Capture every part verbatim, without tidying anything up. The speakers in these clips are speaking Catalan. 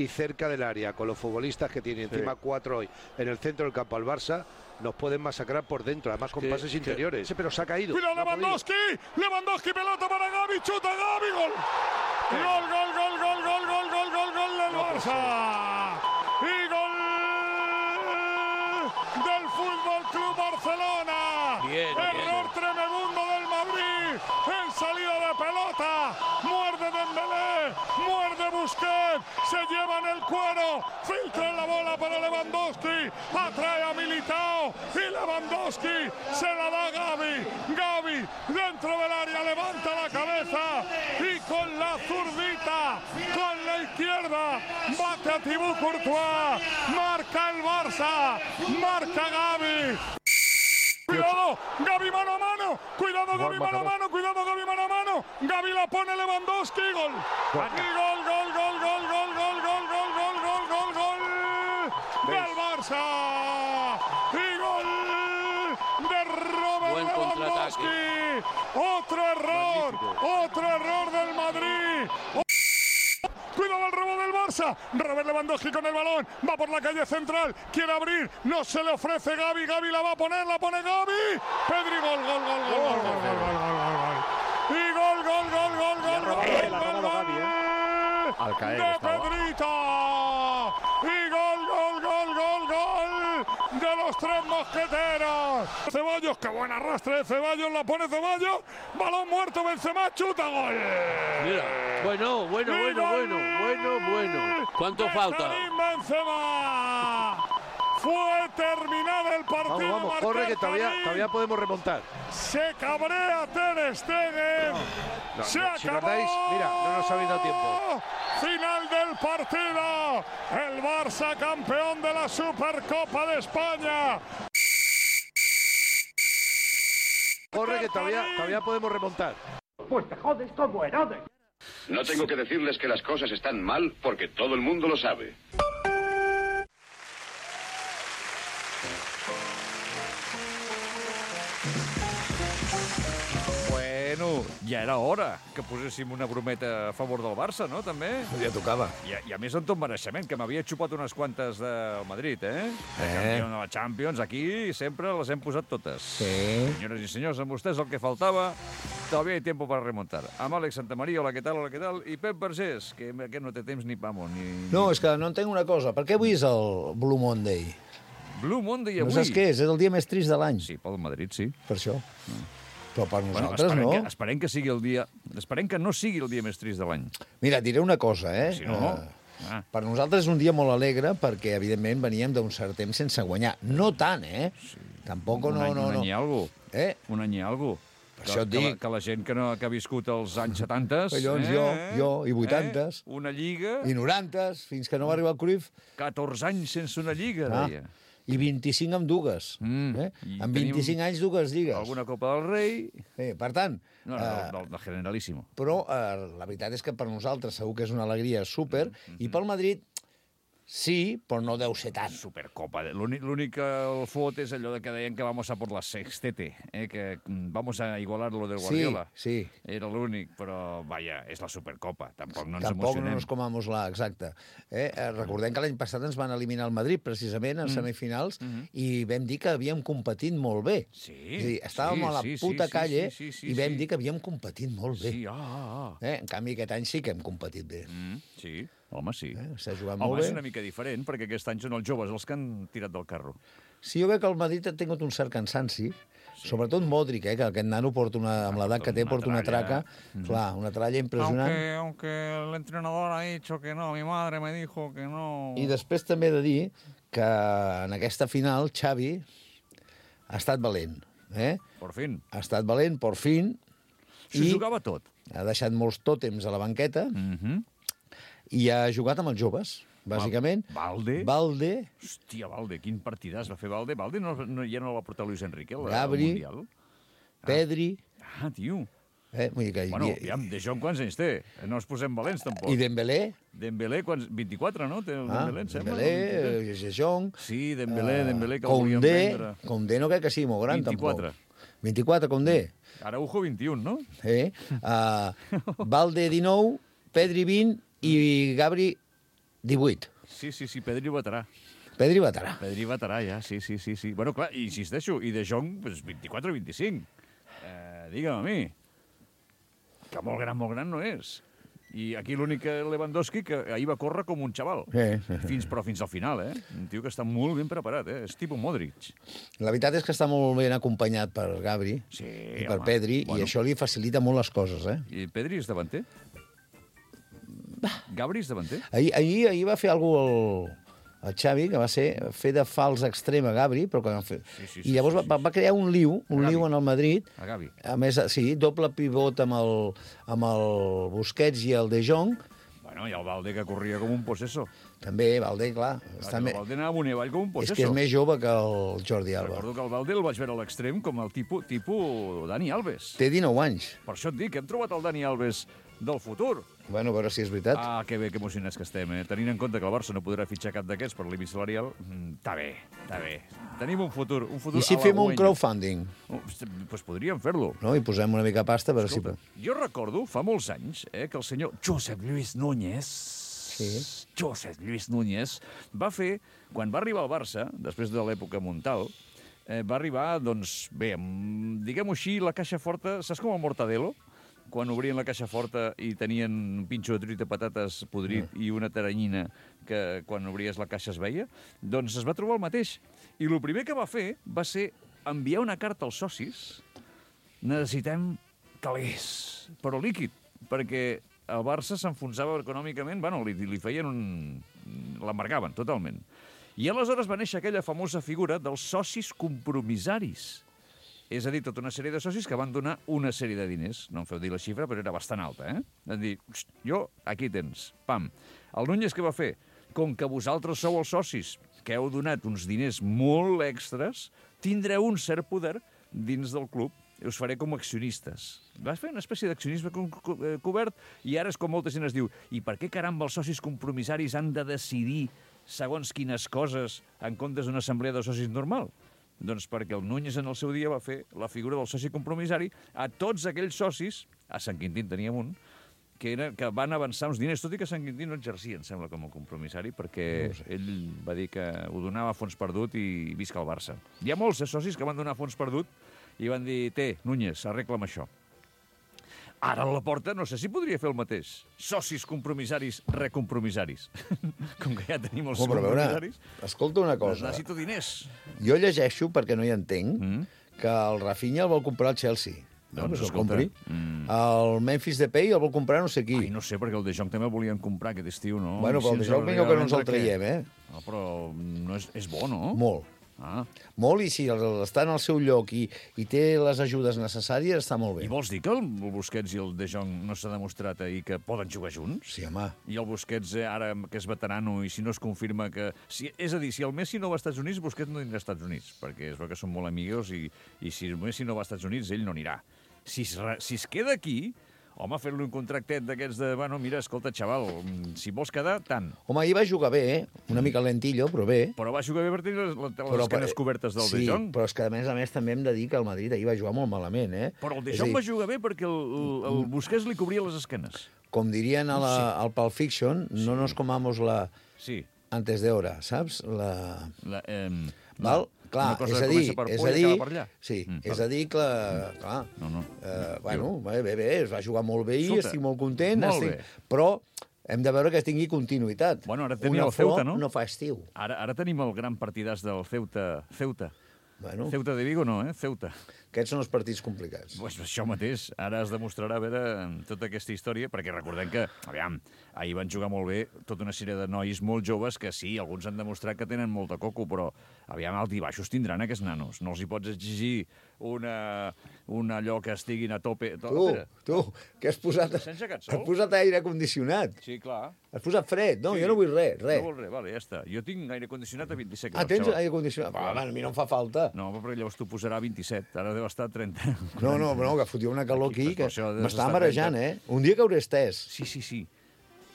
y cerca del área, con los futbolistas que tiene encima Sí. cuatro hoy en el centro del campo al Barça, nos pueden masacrar por dentro, además con Que- pases que- interiores. Sí, pero se ha caído. Cuidado no ha podido. Lewandowski, Lewandowski, pelota para Gavi, chuta Gavi, gol. Gol, gol, gol, gol, gol, gol, gol, gol, gol del Barça. Y gol del Fútbol Club Barcelona. Bien, Error bien. tremebundo del Madrid en salida de pelota. Muerde Dembélé, muerde Busquets, se llevan el cuero, filtra la bola para Lewandowski, atrae a Militao y Lewandowski se la da a Gavi. Gavi dentro del área levanta la cabeza y con la zurdita, con la izquierda, bate a Thibaut Courtois, marca el Barça, marca Gavi. Cuidado, Gavi mano a mano, cuidado Gavi mano a mano, cuidado Gavi mano a mano, Gavi la pone Lewandowski, gol. Y gol, gol, gol, gol, gol, gol, gol, gol, gol, gol, gol, gol del Barça. Y gol de Robert Buen contraataque. Lewandowski. Otro error, Magnífico. otro error del Madrid. Cuidado el robo del Barça. Robert Lewandowski con el balón. Va por la calle central. Quiere abrir. No se le ofrece Gavi. Gavi la va a poner. La pone Gavi. Pedri, gol, gol, gol, gol, gol, gol, gol, gol, gol, gol, gol. Y gol, gol, gol, gol, gol, gol, robado, gol, la ha gol, robado Gavi, gol. Al caer De estaba. Pedrito. Y gol, gol, gol, gol, gol de los tres mosqueteros. Ceballos, qué buen arrastre de Ceballos. La pone Ceballos. Balón muerto. Benzema, chuta, gol. Mira, bueno, bueno, Y bueno, gol bueno, bueno, bueno. ¿Cuánto de falta? Karim Benzema. Fue terminado el partido. Vamos, vamos, marca corre que todavía, Karim. todavía podemos remontar. Se cabrea Ter Stegen. No, Se no, acabó. si nos dais, mira, no nos habéis dado tiempo. Final del partido. El Barça campeón de la Supercopa de España. Corre que todavía, todavía podemos remontar. No tengo que decirles que las cosas están mal porque todo el mundo lo sabe. Bueno, ja era hora que poséssim una brometa a favor del Barça, no, també? Ja tocava. I, a- i a més amb tot mereixement, que m'havia xupat unes quantes del Madrid, eh? De Eh. campió de la Champions, aquí sempre les hem posat totes. Sí. Senyores i senyors, amb vostès el que faltava, todavía hay tiempo para remontar. Amb Àlex Santamaría, hola, què tal, hola, què tal? I Pep Vergés, que aquest no té temps ni pamo, ni... No, és que no entenc una cosa. Per què avui és el Blue Monday? Blue Monday No avui. saps què és? És el dia més trist de l'any. Sí, pel Madrid, sí. Per això. Però per Bueno, nosaltres esperem, no. que, esperem que sigui el dia... Esperem que no sigui el dia més trist de l'any. Mira, et diré una cosa, eh? Si no... Eh, Ah, Per nosaltres és un dia molt alegre perquè, evidentment, veníem d'un cert temps sense guanyar. No tant, eh? Tampoc un no, any, no, un no. any i algo. Eh? Un any i algo. Per Que, això et que, la, dic. que la gent que, no, que ha viscut els anys setanta... Collons, jo, jo, i vuitantes. Eh? Una lliga... I norantes, fins que no va arribar el Cruyff. catorze anys sense una lliga, Ah, deia. I vint-i-cinc amb dues. Mm. Eh? I Amb tenim vint-i-cinc anys, dues lligues. Alguna Copa del Rei... Eh, per tant, No, no, eh, del, del, del Generalíssimo. però eh, la veritat és que per nosaltres segur que és una alegria súper, Mm-hmm. i pel Madrid sí, però no deu ser tant. Supercopa. L'únic l'únic que el fot és allò de que deien que vamos a por la sextete, eh? que mm, vamos a igualar lo del Sí, Guardiola. sí. Era l'únic, però, vaja, és la Supercopa. Tampoc no ens Tampoc no emocionem. nos comamos la, exacte. Eh, eh, recordem que l'any passat ens van eliminar el Madrid, precisament, en semifinals, i vam dir que havíem competit molt bé. Mm-hmm. Sí, És a dir, estàvem sí, a la sí, puta sí, calle sí, sí, sí, i vam sí. dir que havíem competit molt bé. Sí, ah, ah, ah. Eh? En canvi, aquest any sí que hem competit bé. Mm, sí, home, sí. Eh? S'ha jugat Home, molt és bé. una mica diferent, perquè aquest any són els joves els que han tirat del carro. Sí, jo crec que el Madrid ha tingut un cert cansanci, sí. Sobretot Modric, eh, que aquest nano porta una, amb l'edat que té, una porta una tralla. traca, clar, una tralla impressionant. Aunque, aunque el entrenador ha dicho que no, mi madre me dijo que no... I després també he de dir que en aquesta final Xavi ha estat valent. Eh? Por fin. Ha estat valent, por fin, S'ho i jugava tot. ha deixat molts tòtems a la banqueta Mm -hmm. i ha jugat amb els joves, bàsicament. Valde. Valde, Hòstia, Valde, quin partidàs va fer Valde. Valde no, no, ja no el va portar Luis Enrique al Gabri. Mundial. Pedri... Ah, tio. Eh? Vull dir que hi Bueno, havia- aviam, De Jong quants anys té? No ens posem valents, tampoc. I Dembélé, Dembélé, quants... vint-i-quatre, no? Té el ah, Dembélé, em sembla. Dembélé, De Jong... Sí, Dembélé, Dembélé, que el volien Condé, vendre. Condé no crec que sigui molt gran, vint-i-quatre. tampoc. vint-i-quatre, Condé. Araujo, vint-i-un, no? Eh? Uh, Valde, dinou, Pedri, vint, i Gabri, divuit. Sí, sí, sí, Pedri veterà. Pedri veterà. Pedri veterà, ja, sí, sí, sí. sí. Bueno, clar, insisteixo, i De Jong, pues, vint-i-quatre o vint-i-cinc. Eh, digue'm a mi. Que molt gran, molt gran no és. I aquí l'únic Lewandowski que ahir va córrer com un xaval. Sí, sí. Fins, però fins al final, eh? Un tio que està molt ben preparat, eh? És tipus Modric. La veritat és que està molt ben acompanyat per Gabri Sí, i per home. Pedri, Bueno. i això li facilita molt les coses, eh? I Pedri és davanter? Gabri és davanter? Ahir, ahir, ahir va fer alguna cosa el, el Xavi, que va ser fer de fals extrem a Gabri, però que van fer... Sí, sí, sí, I llavors sí, sí. Va, va crear un liu, un Gavi. liu en el Madrid. A Gavi. A més, sí, doble pivot amb el, amb el Busquets i el De Jong. Bueno, i el Valde que corria com un possesso. També, Valde, clar. Està Està el me... Valde anava amunt i avall com un És possesso. que és més jove que el Jordi Alba. Recordo que el Valde el vaig veure a l'extrem com el tipus, tipus Dani Alves. Té dinou anys. Per això et dic, hem trobat el Dani Alves del futur. Bueno, a veure si és veritat. Ah, que bé, que emocionats que estem, eh? Tenint en compte que el Barça no podrà fitxar cap d'aquests per límit salarial, mm, està bé, està bé. Tenim un futur, un futur I si fem un crowdfunding, Doncs pues podríem fer-lo. no? I posem una mica pasta per si... Escolta, jo recordo, fa molts anys, eh, que el senyor Josep Lluís Núñez, Sí. Josep Lluís Núñez, va fer, quan va arribar al Barça, després de l'època Montal, eh, va arribar, doncs, bé, amb, diguem-ho així, la caixa forta, saps com el Mortadelo? Quan obrien la caixa forta i tenien un pinxo de truita de patates podrit mm. i una taranyina que quan obries la caixa es veia, doncs es va trobar el mateix. I el primer que va fer va ser enviar una carta als socis. Necessitem calés, però líquid, perquè el Barça s'enfonsava econòmicament, bueno, li, li feien un... l'embargaven totalment. I aleshores va néixer aquella famosa figura dels socis compromissaris. És a dir, tota una sèrie de socis que van donar una sèrie de diners. No em feu dir la xifra, però era bastant alta, eh? Van dir, jo, aquí tens, pam. El Núñez què va fer? Com que vosaltres sou els socis que heu donat uns diners molt extras, tindreu un cert poder dins del club i us faré com a accionistes. Vas fer una espècie d'accionisme co co cobert i ara és com molta gent es diu i per què caramba els socis compromissaris han de decidir segons quines coses en comptes d'una assemblea de socis normal? Doncs perquè el Núñez en el seu dia va fer la figura del soci compromissari a tots aquells socis, a Sant Quintín teníem un, que, era, que van avançar uns diners, tot i que Sant Quintín no exercia, em sembla, com a compromissari, perquè no sé. Ell va dir que ho donava a fons perdut i visca el Barça. Hi ha molts eh, socis que van donar a fons perdut i van dir, té, Núñez, arregla'm això. Ara a la porta no sé si podria fer el mateix. Socis compromissaris, recompromissaris. Com que ja tenim els Oh, però a veure, compromissaris, escolta una doncs cosa. necessito diners. Jo llegeixo, perquè no hi entenc, Mm. que el Rafinha el vol comprar el Chelsea. No, Doncs, doncs el escolta, compri. mm. El Memphis Depay el vol comprar no sé qui. Ai, no sé, perquè el De Jong també el volien comprar aquest estiu, no? Bueno, però el Si De ens Jong millor que no ens el regalen, traiem, eh? No, però no és, és bo, no? Molt. Ah. Molt, i si el- està en el seu lloc i, i té les ajudes necessàries, està molt bé. I vols dir que el Busquets i el De Jong no s'ha demostrat ahir que poden jugar junts? Sí, home. I el Busquets, eh, ara que és veterano, i si no es confirma que... Si, és a dir, si el Messi no va als Estats Units, Busquets no anirà als Estats Units, perquè és veu que són molt amigos i, i si el Messi no va als Estats Units, ell no anirà. Si es, re- si es queda aquí, home, fer-li un contractet d'aquests de... Bueno, mira, escolta, xaval, si vols quedar, tant. Home, ahir va jugar bé, eh? Una mica lentillo, però bé. Però va jugar bé per tenir les, les, les Però, esquenes cobertes del sí, De Jong. però és que a més a més també hem de dir que el Madrid ahir va jugar molt malament, eh? Però el De És a Jong dir, va jugar bé perquè el, el, el Busquets li cobria les esquenes. Com dirien a la, al Pulp Fiction, no nos comamos la Sí. antes de hora, saps? La... La, eh, Val? Clar, una cosa és que a dir, comença per és por a i dir, acaba per allà. sí, Mm, és va. a dir que, clar, No, no. eh, bueno, bé, bé, bé, es va jugar molt bé i Escolta, estic molt content, molt estic... bé. però hem de veure que tingui continuïtat. Bueno, ara tenia Una el Ceuta, flor no? no fa estiu. Ara, ara tenim el gran partidàs del Ceuta. Ceuta. Bueno, Ceuta de Vigo no, eh? Ceuta. aquests són els partits complicats. Pues això mateix. Ara es demostrarà a veure tota aquesta història, perquè recordem que, aviam, ahir van jugar molt bé tota una sèrie de nois molt joves que sí, alguns han demostrat que tenen molta coco, però aviam, alt i baixos tindran aquests nanos. No els hi pots exigir una, un allò que estiguin a tope. Tu, tu, que has posat... S'ha engegat sol? Has posat aire condicionat. Sí, clar. Has posat fred. No, Sí. jo no vull res, res. No vol res, vale, ja està. Jo tinc aire condicionat a vint-i-set Ah, graus, tens xaval. aire condicionat? Va, a mi no em fa falta. No, però llavors t'ho posarà a vint-i-set. Ara deu estar a trenta. No, no, no, que fotia una calor Aquí, aquí per que això has m'està d'estar marejant, eh? Un dia que hauré estès. Sí, sí, sí.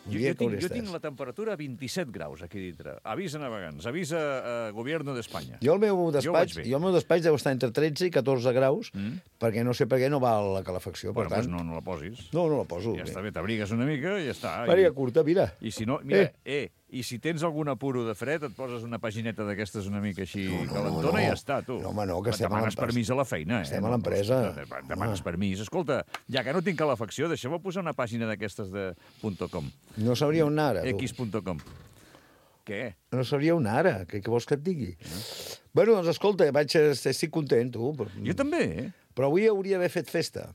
Un Jo, dia jo, que tinc, hauré jo estès. tinc la temperatura a vint-i-set graus aquí dintre. Avisa navegants, avisa eh, Gobierno d'Espanya. Jo el meu Jo despatx, vaig bé. jo el meu despatx deu estar entre tretze i catorze graus, Mm. perquè no sé per què no va la calefacció, Bueno, per doncs tant... no, no la posis. No, no la poso. Ja està bé, t'abrigues una mica i ja està. Màriga I, curta, mira. I si no, mira, Eh. eh, I si tens algun apuro de fred, et poses una pagineta d'aquestes una mica així no, no, calentona no, no. i ja està, tu. No, home, no, que estem a demanes permís a la feina, eh? Estem a l'empresa. Demanes permís. Escolta, ja que no tinc calefacció, deixeu-me posar una pàgina d'aquestes de .com. No sabria on anar, ara, tu. X punt com. Què? No sabria on ara, què, què vols que et digui? Mm. Bueno, doncs escolta, vaig, estic content, tu. Jo també, eh? Però avui hauria d'haver fet festa.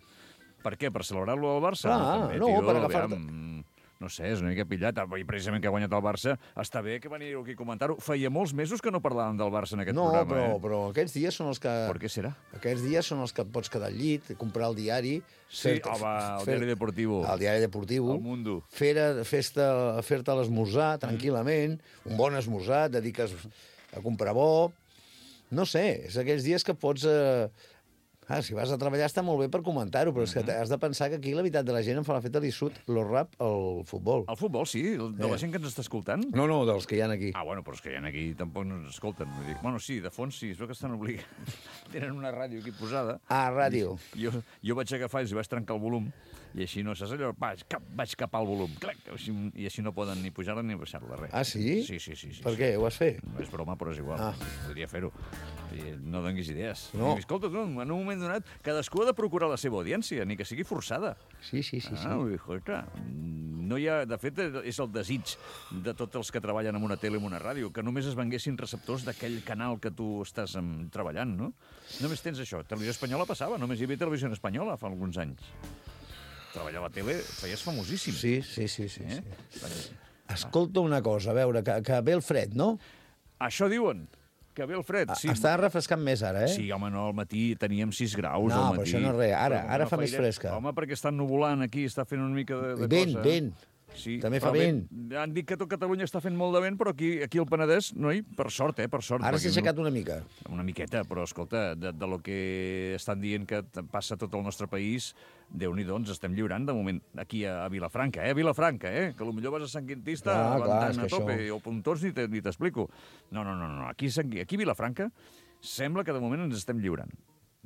Per què? Per celebrar-lo al Barça? Ah, també, no, tio, per agafar-te. Aviam, no sé, és una mica pillat. I precisament que ha guanyat el Barça, està bé que veniu aquí a comentar-ho. Feia molts mesos que no parlàvem del Barça en aquest no, programa. No, però, eh? però aquests dies són els que... Per què serà? Aquests dies són els que et pots quedar al llit, comprar el diari... Sí, home, el fer, diari deportivo. El diari deportivo. El Mundo. Fer-te fer l'esmorzar tranquil·lament, un bon esmorzar, et dediques a comprar bo... No sé, és aquells dies que pots... Eh... Ah, si vas a treballar està molt bé per comentar-ho, però és que has de pensar que aquí la veritat de la gent em fa la feta li surt lo rap al futbol. El futbol, sí? De la Eh. gent que ens està escoltant? No, no, dels que hi ha aquí. Ah, bueno, però és que hi ha aquí tampoc no ens escolten. Vull dir, bueno, sí, de fons sí, es veu que estan obligats. Tenen una ràdio aquí posada. Ah, ràdio. Jo, jo vaig agafar i els vaig trencar el volum, i així no saps allò, vaig, cap, vaig capar el volum, clac, així, i així no poden ni pujar-la ni baixar-la, res. Ah, sí? Sí, sí, sí. sí Per sí. què? Ho vas fer? No és broma, però és igual. Ah. Podria fer-ho. I no donis idees. No. I, escolta, tu, en un moment donat, cadascú ha de procurar la seva audiència, ni que sigui forçada. Sí, sí, sí. sí. Ah, vull dir, escolta, no hi ha... De fet, és el desig de tots els que treballen en una tele o en una ràdio, que només es venguessin receptors d'aquell canal que tu estàs um, treballant, no? Només tens això. Televisió Espanyola passava, només hi havia Televisió Espanyola fa alguns anys. Treballar a la tele feies famosíssim. Sí, sí, sí. sí, Eh? sí. Escolta una cosa, a veure, que, que ve el fred, no? Això diuen, que ve el fred. Sí. Està refrescant més ara, eh? Sí, home, no, al matí teníem sis graus. No, al però matí. això no és res. Ara, Però ara no fa més faire- fresca. Home, perquè està nuvolant aquí, està fent una mica de, de Vent, cosa. vent. Sí, També però fa vent. Han dit que tot Catalunya està fent molt de vent, però aquí, aquí al Penedès, noi, per sort, eh, per sort. Ara perquè s'ha aixecat una mica. Una miqueta, però escolta, de, de lo que estan dient que t- passa a tot el nostre país, Déu-n'hi-do, ens estem lliurant de moment aquí a, a Vilafranca, eh? A Vilafranca, eh? Que potser vas a Sant Quintista Ah, clar, avançant és a que tope, això- o Pontons ni te- ni t'explico. No, no, no, no. Aquí, a Sant- aquí a Vilafranca sembla que de moment ens estem lliurant.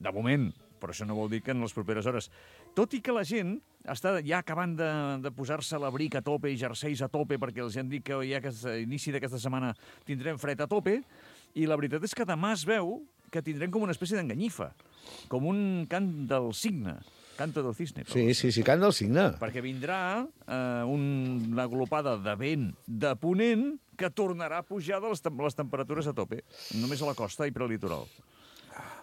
De moment, però això no vol dir que en les properes hores. Tot i que la gent està ja acabant de, de posar-se l'abric a tope i jerseis a tope, perquè els han dit que ja que a inici d'aquesta setmana tindrem fred a tope, i la veritat és que demà es veu que tindrem com una espècie d'enganyifa, com un cant del cigne, canto del cisne. però- Sí, sí, sí, cant del cigne. perquè vindrà eh, un, una glopada de vent de ponent que tornarà a pujar de les, tem les temperatures a tope, només a la costa i prelitoral.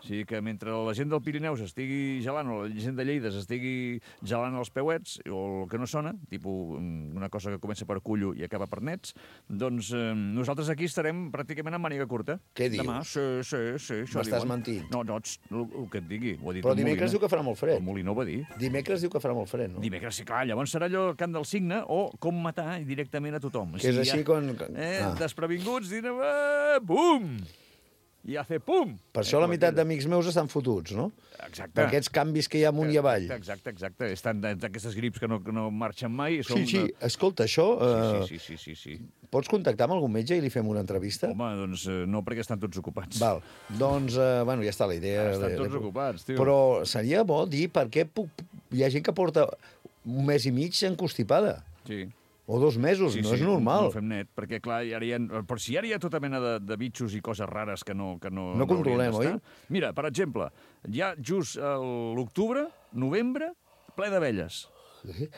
O sigui que mentre la gent del Pirineu s'estigui gelant o la gent de Lleida s'estigui gelant els peuets o el que no sona, tipus mm, una cosa que comença per cullo i acaba per nets, doncs eh, nosaltres aquí estarem pràcticament amb màniga curta. Què dius? Demà, sí, sí, sí. això M'estàs diuen. mentint. No, no, txt, el, el que et digui. Ho ha dit Però el dimecres Moliner. diu que farà molt fred. El Moliner ho va dir. Dimecres diu que farà molt fred, no? Dimecres, sí, clar, llavors serà allò el cant del cigne o com matar directament a tothom. Que és així quan- Eh, ah. Desprevinguts, direm, eh, bum! I hace pum! Per això la meitat d'amics meus estan fotuts, no? Exacte. Per aquests canvis que hi ha amunt i avall. Exacte, exacte. Estan d'aquestes grips que no, que no marxen mai. Sí, Són, sí, escolta, això... Eh, Sí, sí, sí, sí, sí. Pots contactar amb algun metge i li fem una entrevista? Home, doncs eh, no, perquè estan tots ocupats. Val, doncs, eh, bueno, ja està la idea. Estan de- tots de- ocupats, tio. Però seria bo dir per què puc... hi ha gent que porta un mes i mig encostipada. Sí. O dos mesos, no és normal. No ho fem net, perquè clar, ara hi ha, però si ara hi ha tota mena de, de bitxos i coses rares que no, que no, No controlem, haurien oi? d'estar. Mira, per exemple, hi ha just a l'octubre, novembre, ple d'abelles.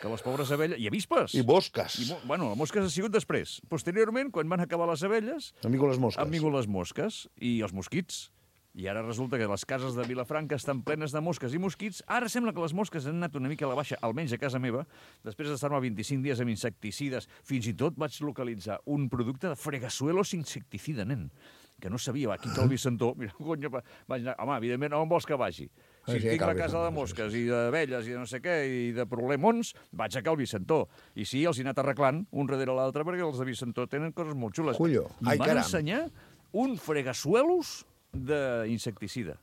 Que les pobres abelles... I avispes. I mosques. I, mo- bueno, les mosques ha sigut després. Posteriorment, quan van acabar les abelles, Han vingut les mosques. han vingut les mosques i els mosquits. I ara resulta que les cases de Vilafranca estan plenes de mosques i mosquits. Ara sembla que les mosques han anat una mica a la baixa, almenys a casa meva, després d'estar-me vint-i-cinc dies amb insecticides. Fins i tot vaig localitzar un producte de fregasuelos insecticida, nen, que no sabia. Va, aquí al Vicentó, mira, conya, va- vaig anar... Home, evidentment, on vols que vagi? Si Ah, sí, tinc cal la casa de Vicentó, mosques i d'abelles i de no sé què, i de problemons, vaig a Cal Vicentó. I sí, els he anat arreglant un darrere l'altre, perquè els de Vicentó tenen coses molt xules. Cullo. I Ai, em van caram. ensenyar un fregasuelos d'insecticida.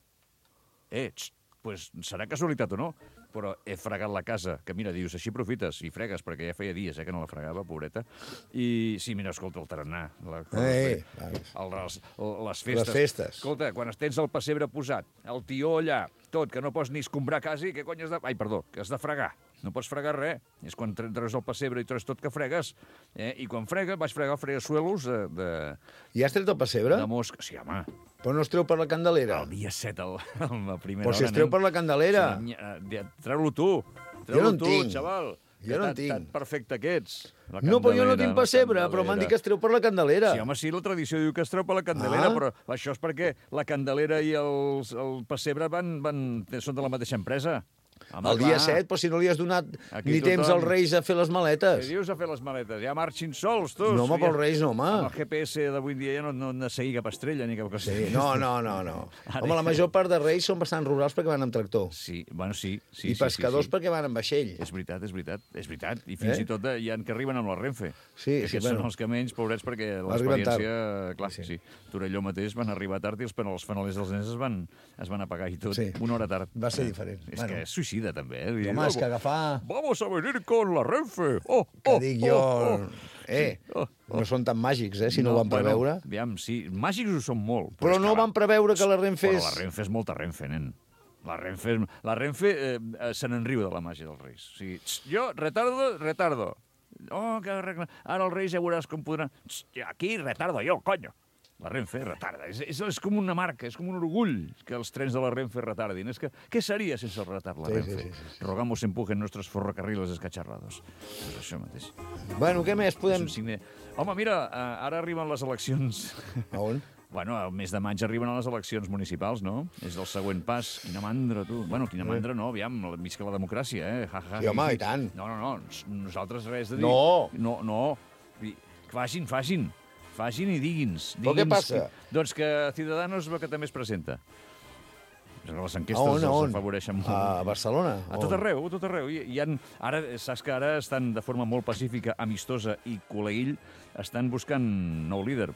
Eh, txt, pues serà casualitat o no, però he fregat la casa, que mira, dius, així aprofites i fregues, perquè ja feia dies eh, que no la fregava, pobreta. I sí, mira, escolta, el tarannà, la, Eh, el, les, les festes. Les festes. Escolta, quan tens el pessebre posat, el tió allà, tot, que no pots ni escombrar quasi, què cony has de... Ai, perdó, que has de fregar. no pots fregar res. És quan treus el pessebre i treus tot que fregues. Eh? I quan frega, vaig fregar fregazuelos de, de, I has tret el pessebre? de mosca. Sí, home, Però no es treu per la Candelera? el dia set, el, la primera Però si hora, es treu nen. per la Candelera. Sí, eh, Treu-lo tu. Jo no Treu-lo en tu, tinc. xaval. Jo no en tinc. Tan perfecte que ets. La No, però jo no Candelera, tinc la pessebre, però m'han dit que es treu per la Candelera. Sí, home, sí, la tradició diu que es treu per la Candelera, Ah. però això és perquè la Candelera i els, el pessebre van, van, són de la mateixa empresa. Home, El dia clar. set, però si no li has donat Aquí ni temps tothom- als Reis a fer les Què maletes. dius a fer les maletes? Ja marxin sols, tu. No, home, Ja- pels Reis no, home. Amb el G P S d'avui dia ja no, no han de seguir cap estrella ni cap cosa. Sí, no, no, no, no. Ara Home, la ja- major part de Reis són bastant rurals perquè van amb tractor. Sí, bueno, sí. sí I sí, pescadors sí, sí. perquè van amb vaixell. És veritat, és veritat, és veritat. I fins Eh? i tot eh, hi ha que arriben amb la Renfe. Sí, que sí, aquests bueno. són els que menys, pobrets, perquè Arriben tard. l'experiència... Clar, sí. sí. Torelló mateix van arribar tard i els, els fanalers dels nens es van, es van apagar i tot. Sí. Una hora tard. Va ser diferent. És Bueno. que és suïcida, també. Eh? Vull dir, Home, és que "Vamos- agafar... Vamos a venir con la Renfe. Oh, Que oh, dic oh, jo... oh. Eh, Sí. Oh, oh. no són tan màgics, eh, si no, ho van preveure. Bueno, aviam, sí, màgics ho són molt. Però és no que la- van preveure que la Renfe Però és... la Renfe és molta Renfe, nen. La Renfe, és- la Renfe eh, eh, se n'enriu de la màgia dels Reis. O sigui, tx, jo, retardo, retardo. Oh, que regla... Ara els Reis ja veuràs com podran... Tx, aquí retardo jo, conyo. La Renfe retarda. És, és, és com una marca, és com un orgull que els trens de la Renfe retardin. És que, què seria sense el retard la Sí, Renfe? sí, sí, sí, sí. Rogamos empujen nuestros ferrocarriles escacharrados. És això mateix. Bueno, què més És podem... un signe... Home, mira, eh, ara arriben les eleccions... A on? Bueno, al mes de maig arriben a les eleccions municipals, no? És el següent pas. Quina mandra, tu. Bueno, quina mandra no, aviam, visca la democràcia, eh? Ja, ja, Sí, home, ja. i tant. No, no, no, nos- nosaltres res de dir. No. No, no. I- Facin, facin. Facin i digui'ns. Però què digui'ns passa? Que, doncs que Ciudadanos va que també es presenta. Les A enquestes on, a els on? afavoreixen molt. A Barcelona? A tot arreu, a tot arreu. Hi, hi han, ara, saps que ara estan de forma molt pacífica, amistosa i col·leïll, estan buscant nou líder.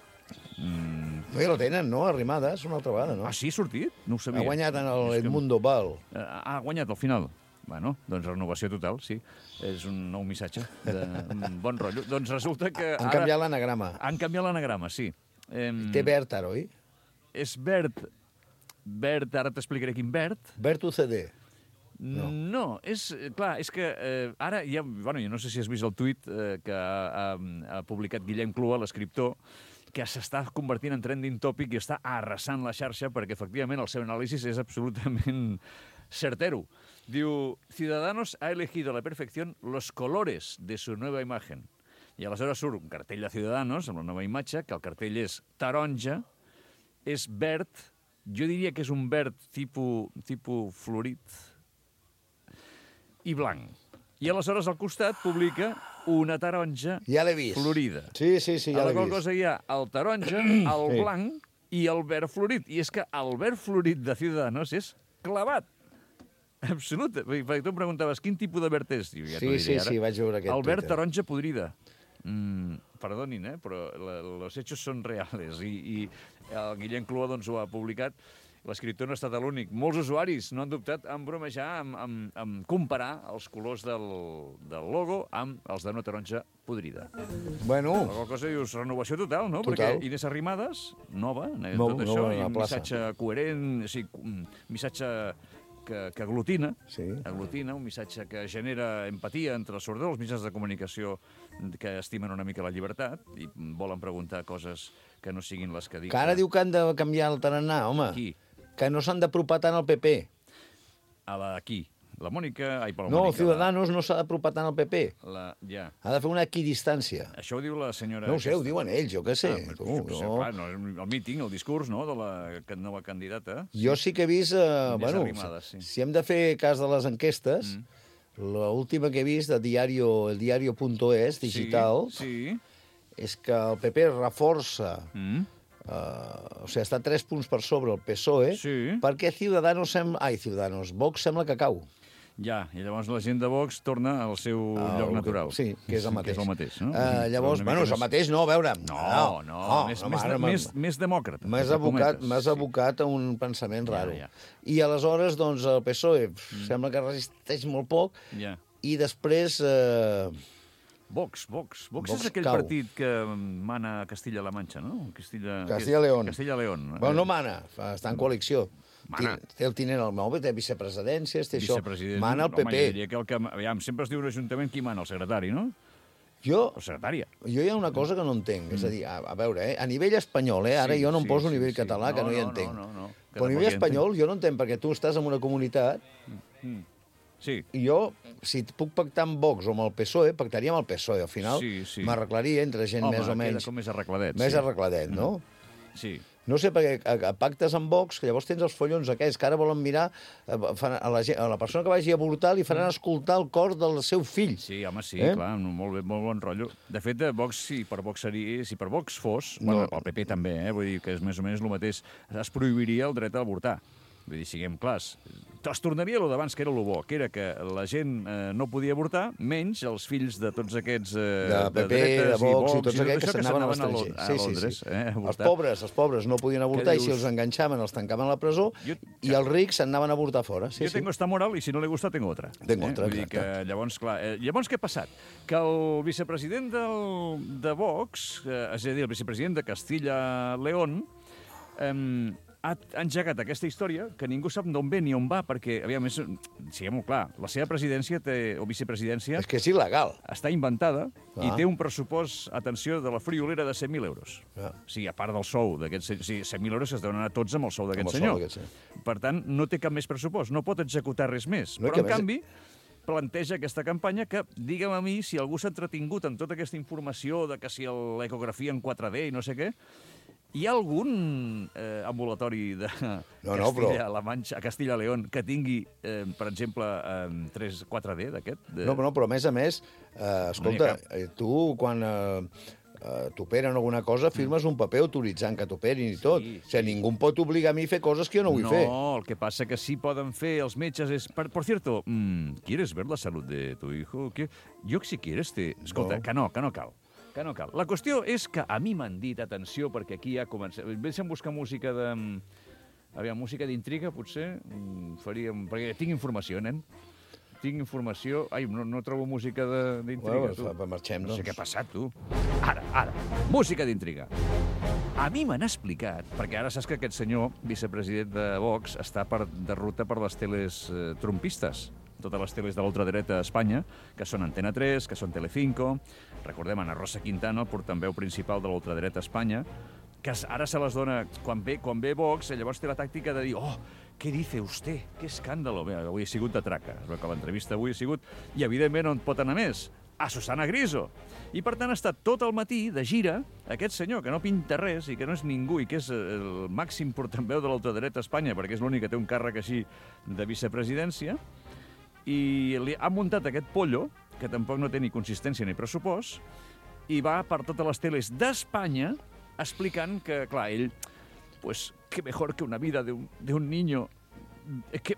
Mm, No, ja lo tenen, no? Arrimadas, una altra vegada, no? ah, sí, ha sortit? No ho sabia. Ha guanyat en el És que- Edmundo Val. Eh, Ha guanyat al final. Bueno, doncs renovació total, sí. És un nou missatge de un bon rotllo. Doncs resulta que Han ara... canviat l'anagrama. Han canviat l'anagrama, sí. Em, Té verd ara, oi? És verd. Verd, ara t'explicaré quin verd. Verd U C D. No. no, és, eh, clar, és que eh, ara ja, bueno, jo no sé si has vist el tuit eh, que ha, ha, ha publicat Guillem Clua, l'escriptor, que s'està convertint en trending topic i està arrasant la xarxa perquè, efectivament, el seu anàlisi és absolutament certero. Diu, Ciudadanos ha elegido a la perfección los colores de su nueva imagen. I aleshores surt un cartell de Ciudadanos amb la nova imatge, que el cartell és taronja, és verd, jo diria que és un verd tipus, tipus florit, i blanc. I aleshores al costat publica una taronja Ja l'he vist. florida. Sí, sí, sí, ja a la l'he qual vist. cosa hi ha el taronja, el Sí. blanc i el verd florit. I és que el verd florit de Ciudadanos és clavat. Absolut. Perquè tu em preguntaves quin tipus de verd és. Jo ja t'ho Sí, diré sí, ara. sí, vaig veure aquest El verd Twitter. taronja podrida. Mm, perdonin, eh, però la, los hechos són reales. I, i el Guillem Clua doncs, ho ha publicat. L'escriptor no ha estat l'únic. Molts usuaris no han dubtat en bromejar, en, en, en comparar els colors del, del logo amb els d'una taronja podrida. Bueno, La qual cosa dius renovació total, no? Total. Perquè Inés Arrimadas, nova, eh, Nou, tot nova això, a i la un plaça. missatge coherent, o sigui, un missatge que, que aglutina, sí. aglutina, un missatge que genera empatia entre els sobretot els mitjans de comunicació que estimen una mica la llibertat i volen preguntar coses que no siguin les que dic. Que ara diu que han de canviar el tarannà, home. Qui? Que no s'han d'apropar tant al P P. A la qui? La Mònica... Ai, per la No, Mònica, Ciudadanos no s'ha d'apropar tant al P P. La, la, ja. Ha de fer una equidistància. Això ho diu la senyora... No ho sé, ho aquesta. diuen ells, jo què sé. Ah, tu, jo què sé, jo... clar, no, el míting, el discurs, no?, de la ca- nova candidata. Jo sí que he vist... Eh, bueno, Arrimadas, sí. si, si hem de fer cas de les enquestes, mm. l'última que he vist de diario, el diario.es, digital, Sí, sí. és que el P P reforça... Mm. Uh, o sigui, està tres punts per sobre el P S O E, Sí. perquè Ciudadanos sembla... Ai, Ciudadanos, Vox sembla que cau. Ja, i llavors la gent de Vox torna al seu Ah, lloc el- natural. Sí, que és el mateix. Que és el mateix, no? Uh, llavors, Una bueno, mica és el més- mateix, no, a veure... No, no, més, no, més, ara més, m'ha- més demòcrata. M'has entre abocat, cometes, m'has sí. abocat a un pensament Ja, raro. ja. I aleshores, doncs, el P S O E mm. sembla que resisteix molt poc, Ja. i després... Eh, Vox, Vox. Vox, Vox és aquell cau. partit que mana a Castilla-La Manxa, no? Castilla... Castilla-León. Castilla-León. bueno, no mana, fa- està en coalició. Mana. Té, té el tinent al mòbil, té vicepresidències, té això. Vicepresident. Mana el P Home, P. jo diria que el que... Aviam, sempre es diu un ajuntament qui mana, el secretari, no? Jo, O secretària. jo hi ha una cosa que no entenc. És a dir, a, a veure, eh, a nivell espanyol, eh, ara Sí, jo no em sí, poso a sí, nivell sí. català, que No, no hi no, entenc. no, no, no, que Però a tampoc nivell hi espanyol jo no entenc, perquè tu estàs en una comunitat Sí. i jo, si puc pactar amb Vox o amb el P S O E, pactaria amb el P S O E. Al final Sí, sí. m'arreglaria entre gent Home, més o queda menys... com més arregladet. Més sí. arregladet, no? Sí. No sé, perquè a, a pactes amb Vox, que llavors tens els follons aquests, que ara volen mirar a, a, la, gent- a la persona que vagi a avortar li faran escoltar el cor del seu fill. Sí, home, sí, Eh? eh? clar, no, molt, bé, molt bon rotllo. De fet, de Vox, si per Vox, seria, si per Vox fos, No. bueno, el P P també, eh? Vull dir que és més o menys el mateix, es prohibiria el dret a avortar. Vull dir, siguem clars. Es tornaria allò d'abans, que era el bo, que era que la gent eh, no podia avortar, menys els fills de tots aquests... Eh, De P P, de, dretes Vox i Vox tots aquests que això, s'anaven a Lon- l'estranger. a Sí, sí, Londres, sí. eh, a Els avortar. pobres, els pobres no podien avortar Què i si dius? els enganxaven els tancaven a la presó Jo- i els rics s'anaven a avortar fora. Sí, Jo sí. tengo esta moral i si no li gusta tengo otra. Tengo otra, Vull dir que exacte. llavors, clar, eh, llavors què ha passat? Que el vicepresident del, de Vox, eh, és a dir, el vicepresident de Castilla-León, eh, ha ha engegat aquesta història que ningú sap d'on ve ni on va, perquè, aviam, és, siguem-ho clar, la seva presidència té, o vicepresidència És que és il·legal. està inventada i Ah. té un pressupost, atenció, de la friolera de cent mil euros. Ah. O sigui, a part del sou d'aquests... O sigui, cent mil euros que es deuen anar tots amb el sou d'aquest Amb el sou senyor. d'aquest senyor. Per tant, no té cap més pressupost, no pot executar res més. No, i Però, que en a més- canvi, planteja aquesta campanya que, digue'm a mi, si algú s'ha entretingut en tota aquesta informació de que si el- l'ecografia en quatre D i no sé què, hi ha algun eh, ambulatori de No, no, però- Castilla-La Manxa, a Castilla-León, que tingui, eh, per exemple, eh, tres, quatre D d'aquest? De... No, no, però a més a més, eh, escolta, cap. eh, tu quan eh, eh, t'operen alguna cosa firmes un paper autoritzant que t'operin i tot. Sí, O sigui, ningú em pot obligar a mi a fer coses que jo no vull no, fer. el que passa que sí poden fer els metges és... Por, por cierto, mm, ¿quieres ver la salud de tu hijo? ¿Qué? Jo, si quieres, te... Escolta, No. que no, que no cal. Que no cal. La qüestió és que a mi m'han dit, atenció, perquè aquí ja comença... Deixa'm buscar música de... Aviam, música d'intriga, potser, mm, faríem... Perquè tinc informació, nen. Tinc informació... Ai, no, no trobo música de- d'intriga, Bueno, tu. fa- marxem, No sé doncs. què ha passat, tu. Ara, ara. Música d'intriga. A mi m'han explicat, perquè ara saps que aquest senyor, vicepresident de Vox, està per, de ruta per les teles eh, trumpistes, totes les teles de l'ultradreta a Espanya, que són Antena tres, que són Telecinco, recordem Ana Rosa Quintana, el portaveu principal de l'ultradreta a Espanya, que es- ara se les dona, quan ve, quan ve Vox, eh, llavors té la tàctica de dir, oh, què dice usted? Que escàndalo. Bé, avui ha sigut de traca. Es veu que l'entrevista avui ha sigut... I, evidentment, on pot anar més? A Susana Griso. I, per tant, ha estat tot el matí de gira aquest senyor, que no pinta res i que no és ningú i que és el màxim portaveu de l'ultradreta a Espanya, perquè és l'únic que té un càrrec així de vicepresidència, i li ha muntat aquest pollo, que tampoc no té ni consistència ni pressupost, i va per totes les teles d'Espanya explicant que, clar, ell, pues, que mejor que una vida de un, de un niño, eh, que,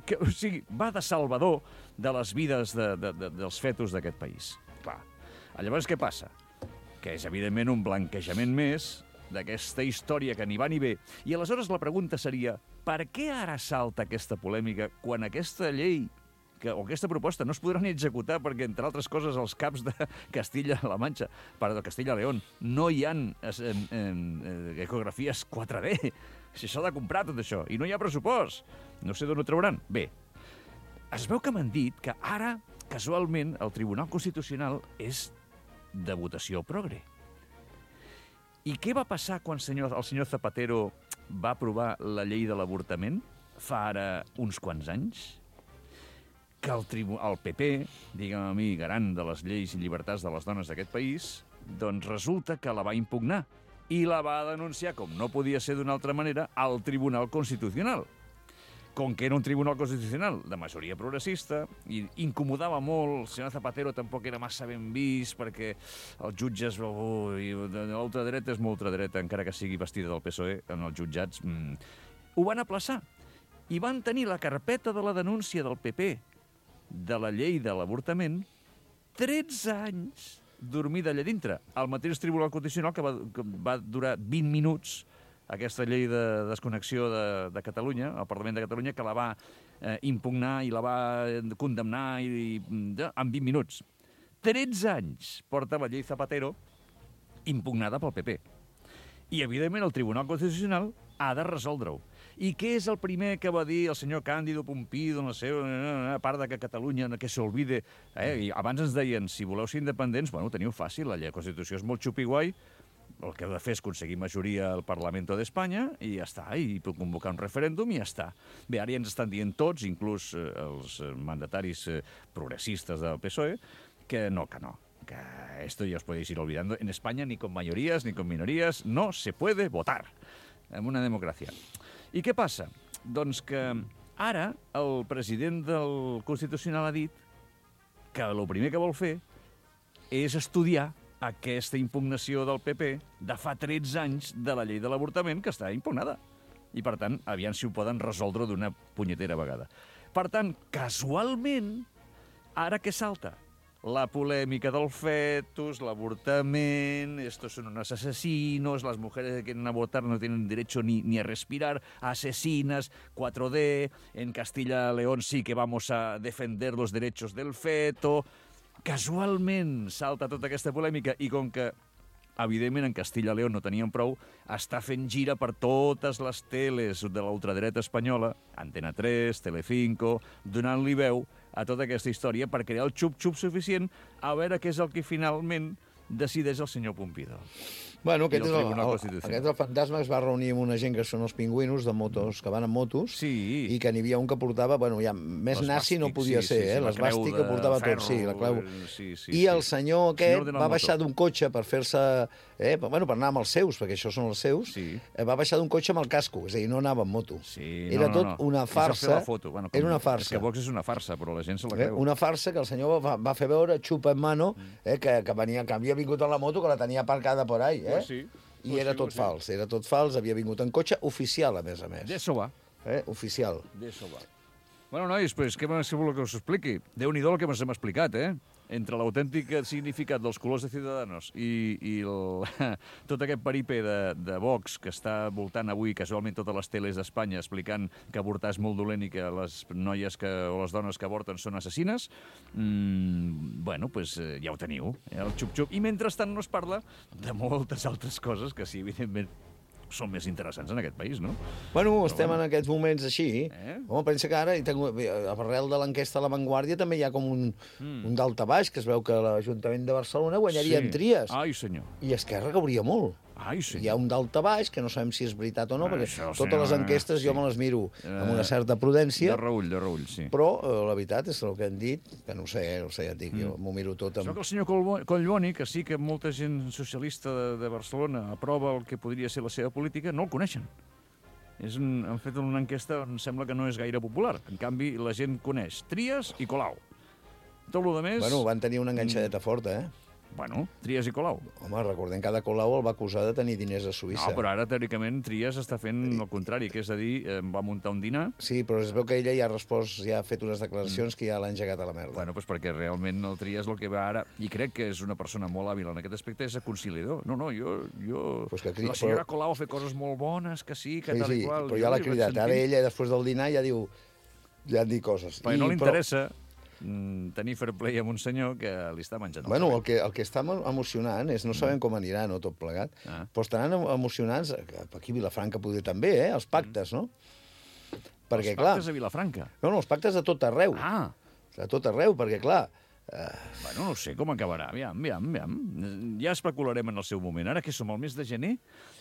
que, o sigui, va de salvador de les vides de, de, de, dels fetos d'aquest país. Clar. Llavors, què passa? Que és, evidentment, un blanquejament més d'aquesta història que ni va ni ve. I aleshores la pregunta seria, per què ara salta aquesta polèmica quan aquesta llei que, o aquesta proposta no es podrà ni executar perquè, entre altres coses, els caps de Castilla-La Manxa, perdó, de Castilla-León, no hi ha en, en, en, ecografies quatre D. Si s'ha de comprar tot això, i no hi ha pressupost. No sé d'on ho trauran. Bé, es veu que m'han dit que ara, casualment, el Tribunal Constitucional és de votació progre. I què va passar quan senyor, el senyor Zapatero va aprovar la llei de l'avortament fa ara uns quants anys? Que el, tribu el P P, digue'm a mi, garant de les lleis i llibertats de les dones d'aquest país, doncs resulta que la va impugnar i la va denunciar, com no podia ser d'una altra manera, al Tribunal Constitucional. Com que era un Tribunal Constitucional de majoria progressista, i incomodava molt, el senyor Zapatero tampoc era massa ben vist, perquè els jutges, ui, l'ultradreta és molt ultradreta, encara que sigui vestida del P S O E, en els jutjats, mmm, ho van aplaçar. I van tenir la carpeta de la denúncia del P P de la llei de l'avortament tretze anys dormida allà dintre. El mateix Tribunal Constitucional que va, que va durar vint minuts, aquesta llei de desconnexió de, de Catalunya, el Parlament de Catalunya, que la va eh, impugnar i la va condemnar i, i, de, en vint minuts. tretze anys porta la llei Zapatero impugnada pel P P. I, evidentment, el Tribunal Constitucional ha de resoldre-ho. I què és el primer que va dir el senyor Càndido Pompido, no sé, a part de que Catalunya que s'olvide... Eh? I abans ens deien, si voleu ser independents, bueno, teniu fàcil, la llei de Constitució és molt xupiguai, el que heu de fer és aconseguir majoria al Parlamento d'Espanya i ja està, i convocar un referèndum i ja està. Bé, ara ja ens estan dient tots, inclús eh, els mandataris eh, progressistes del P S O E, que no, que no, que esto ya os podéis ir olvidando. En España ni con mayorías ni con minorías no se puede votar en una democràcia. I què passa? Doncs que ara el president del Constitucional ha dit que el primer que vol fer és estudiar aquesta impugnació del P P de fa tretze anys de la llei de l'avortament que està impugnada. I, per tant, aviam si ho poden resoldre d'una punyetera vegada. Per tant, casualment, ara què salta? La polèmica del fetus, l'avortament, estos son unos asesinos, las mujeres que quieren abortar no tienen derecho ni, ni a respirar, asesinas, cuatro D, en Castilla y León sí que vamos a defender los derechos del feto... Casualment salta tota aquesta polèmica i com que, evidentment, en Castilla y León no tenien prou, està fent gira per totes les teles de l'ultradreta espanyola, Antena tres, Telecinco, donant-li veu a tota aquesta història per crear el xup-xup suficient a veure què és el que finalment decideix el senyor Pompido. Bueno, aquest I és el el, Tribunal el, Constitucional. aquest el fantasma es va reunir amb una gent que són els pingüinos de motos, que van amb motos, Sí. i que n'hi havia un que portava, bueno, ja més nazi no L'esbàstic, podia sí, ser, sí, sí, eh? la L'esbàstic creu que de portava ferro, tot, sí, la clau. sí, sí, I el sí. senyor Senyor aquest de la va moto. baixar d'un cotxe per fer-se... Eh, per- bueno, per anar amb els seus, perquè això són els seus, Sí. eh, va baixar d'un cotxe amb el casco, és a dir, no anava amb moto. Sí, Era no, no, tot no. una I s'ha fet farsa. la foto. Bueno, Era una És farsa. que Vox és una farsa, però la gent se la Eh? creu. Una farsa que el senyor va, va fer veure, xupa en mano, eh, que, que, venia, que havia vingut en la moto, que la tenia aparcada por ahí. Eh? Pues sí. I Pues era sí, tot pues sí. fals, era tot fals, havia vingut en cotxe oficial, a més a més. D'això va. Eh? Oficial. D'això va. Bueno, nois, pues, què més voleu que us expliqui? Déu-n'hi-do el que ens hem explicat, eh? Entre l'autèntic significat dels colors de Ciudadanos i, i el, tot aquest peripé de, de Vox que està voltant avui casualment totes les teles d'Espanya explicant que avortar és molt dolent i que les noies que, o les dones que avorten són assassines, mmm, bueno, pues, eh, ja ho teniu, eh, el xup-xup. I mentrestant no es parla de moltes altres coses que sí, evidentment, són més interessants en aquest país, no? Bueno, estem bueno. en aquests moments així. Eh? Home, pensa que ara, i tengo, arrel de l'enquesta a La Vanguardia, també hi ha com un, mm. un daltabaix, que es veu que l'Ajuntament de Barcelona guanyaria Sí. en tries. Ai, senyor. I Esquerra cauria molt. Ai, senyor. Hi ha un daltabaix, que no sabem si és veritat o no, Ah, perquè això, totes senyor, les enquestes sí. jo me les miro amb una Eh, certa prudència, De reull, de reull, sí. però eh, la veritat és el que han dit, que no ho sé, eh, no ho sé, ja et dic, Mm. jo m'ho miro tot Això amb... que el senyor Colbo- Collboni, que sí que molta gent socialista de, de Barcelona aprova el que podria ser la seva política, no el coneixen. És un, han fet una enquesta on sembla que no és gaire popular. En canvi, la gent coneix Trias i Colau. Tot el que més... Bueno, van tenir una enganxadeta forta, eh? Bueno, Trias i Colau. Home, recordem que cada Colau el va acusar de tenir diners a Suïssa. No, però ara, teòricament, Trias està fent el contrari, que és a dir, eh, va muntar un dinar. Sí, però es veu que ella ja ha respost, ja ha fet unes declaracions que ja l'han engegat a la merda. Bueno, doncs perquè realment el Trias el que va ara, i crec que és una persona molt hàbil en aquest aspecte, és a conciliador. No, no, jo... jo... Pues que cri- la senyora però- Colau ha fet coses molt bones, que sí, que sí, tal sí, i qual. però Jo ja l'ha li vaig cridat. Ara sentint. ella, després del dinar, ja diu... Ja han dit coses. Perquè no li I- però- interessa mm, tenir fair play amb un senyor que li està menjant el Bueno, el cabell. que, el que està emo- emocionant és, no sabem com anirà, no, tot plegat, Ah. però estaran em- emocionants, eh, aquí a Vilafranca poder també, eh, els pactes, no? Perquè, Els clar... pactes a Vilafranca. No, no, els pactes de tot arreu. Ah, De tot arreu, perquè, clar... bueno, no sé com acabarà. Aviam, aviam, aviam. Ja especularem en el seu moment. Ara que som al mes de gener,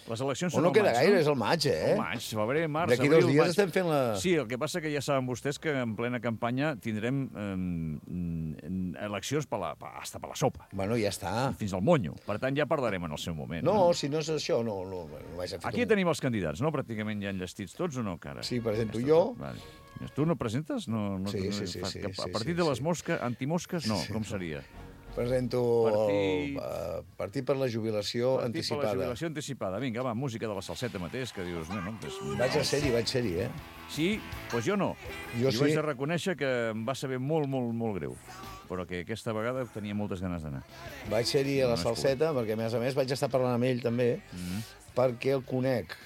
les eleccions O són no al queda maig, gaire, no? és el maig, eh? Al maig, febrer, març, D'aquí abril, dos dies maig. estem fent la... Sí, el que passa que ja saben vostès que en plena campanya tindrem eh, eleccions per la, per, hasta per la sopa, Bueno, ja està. fins al monyo. Per tant, ja parlarem en el seu moment. No, si no és això, no, no, no vaig a fer Aquí tenim els candidats, no? Pràcticament ja enllestits tots o no, cara? Sí, presento Ja està jo. tot, Vale. Tu no presentes? No, no, Sí, no, sí, sí, fa- sí, que sí, A partir sí, de les sí. mosques, antimosques, no, com seria? Presento Partit- el uh, Partit per la Jubilació Partit per Anticipada. la jubilació anticipada. Vinga, va, música de la salseta mateix, que dius... No, no, és... Vaig a ser-hi, vaig ser-hi, eh? Sí, doncs jo no. Jo I sí. vaig de reconèixer que em va saber molt, molt, molt greu. Però que aquesta vegada tenia moltes ganes d'anar. Vaig ser-hi a la No has salseta, perquè a més a més vaig estar parlant amb ell també, Mm. perquè el conec.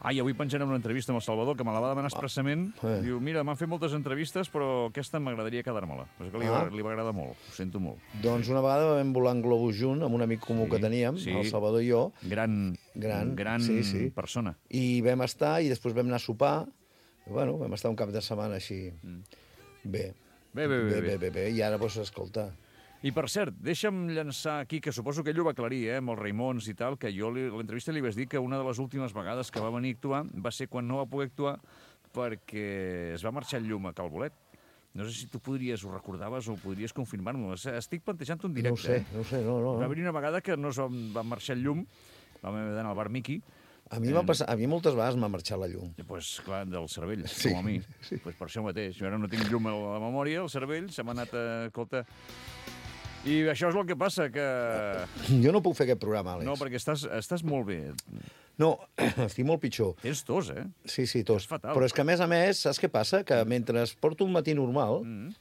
Ah, i avui penjarem una entrevista amb el Salvador, que me la va demanar expressament. Eh. Diu, mira, m'han fet moltes entrevistes, però aquesta m'agradaria quedar-me-la. És que li, Ah. va, li va agradar molt, ho sento molt. Doncs una vegada vam volar en globus junt amb un amic comú Sí, que teníem, sí. el Salvador i jo, Gran, Gran, gran sí, sí. persona. i vam estar, i després vam anar a sopar. Bueno, vam estar un cap de setmana així. Bé. Bé, bé, bé, bé, bé. bé, bé, bé. I ara, doncs, escolta... I, per cert, deixa'm llançar aquí, que suposo que ell ho va aclarir, eh, amb els Raimons i tal, que jo li- a l'entrevista li vaig dir que una de les últimes vegades que va venir a actuar va ser quan no va poder actuar perquè es va marxar el llum a Calbolet. No sé si tu podries, ho recordaves o podries confirmar-m'ho. Estic plantejant un No directe. ho sé, eh? no ho sé, no, no. Va no. haver-hi una vegada que no es va, va marxar el llum, vam haver d'anar al bar Miqui, A mi m'ha passat, a mi moltes vegades m'ha marxat la llum. i, pues, clar, del cervell, Sí, com a mi. Sí. Pues per això mateix. Jo ara no tinc llum a la memòria, el cervell se m'ha anat a... Escolta... I això és el que passa, que... Jo no puc fer aquest programa, Àlex. No, perquè estàs, estàs molt bé. No, estic molt pitjor. Tens tos, eh? Sí, sí, tots. És fatal. Però és que, a més a més, saps què passa? Que mentre porto un matí normal, Mm.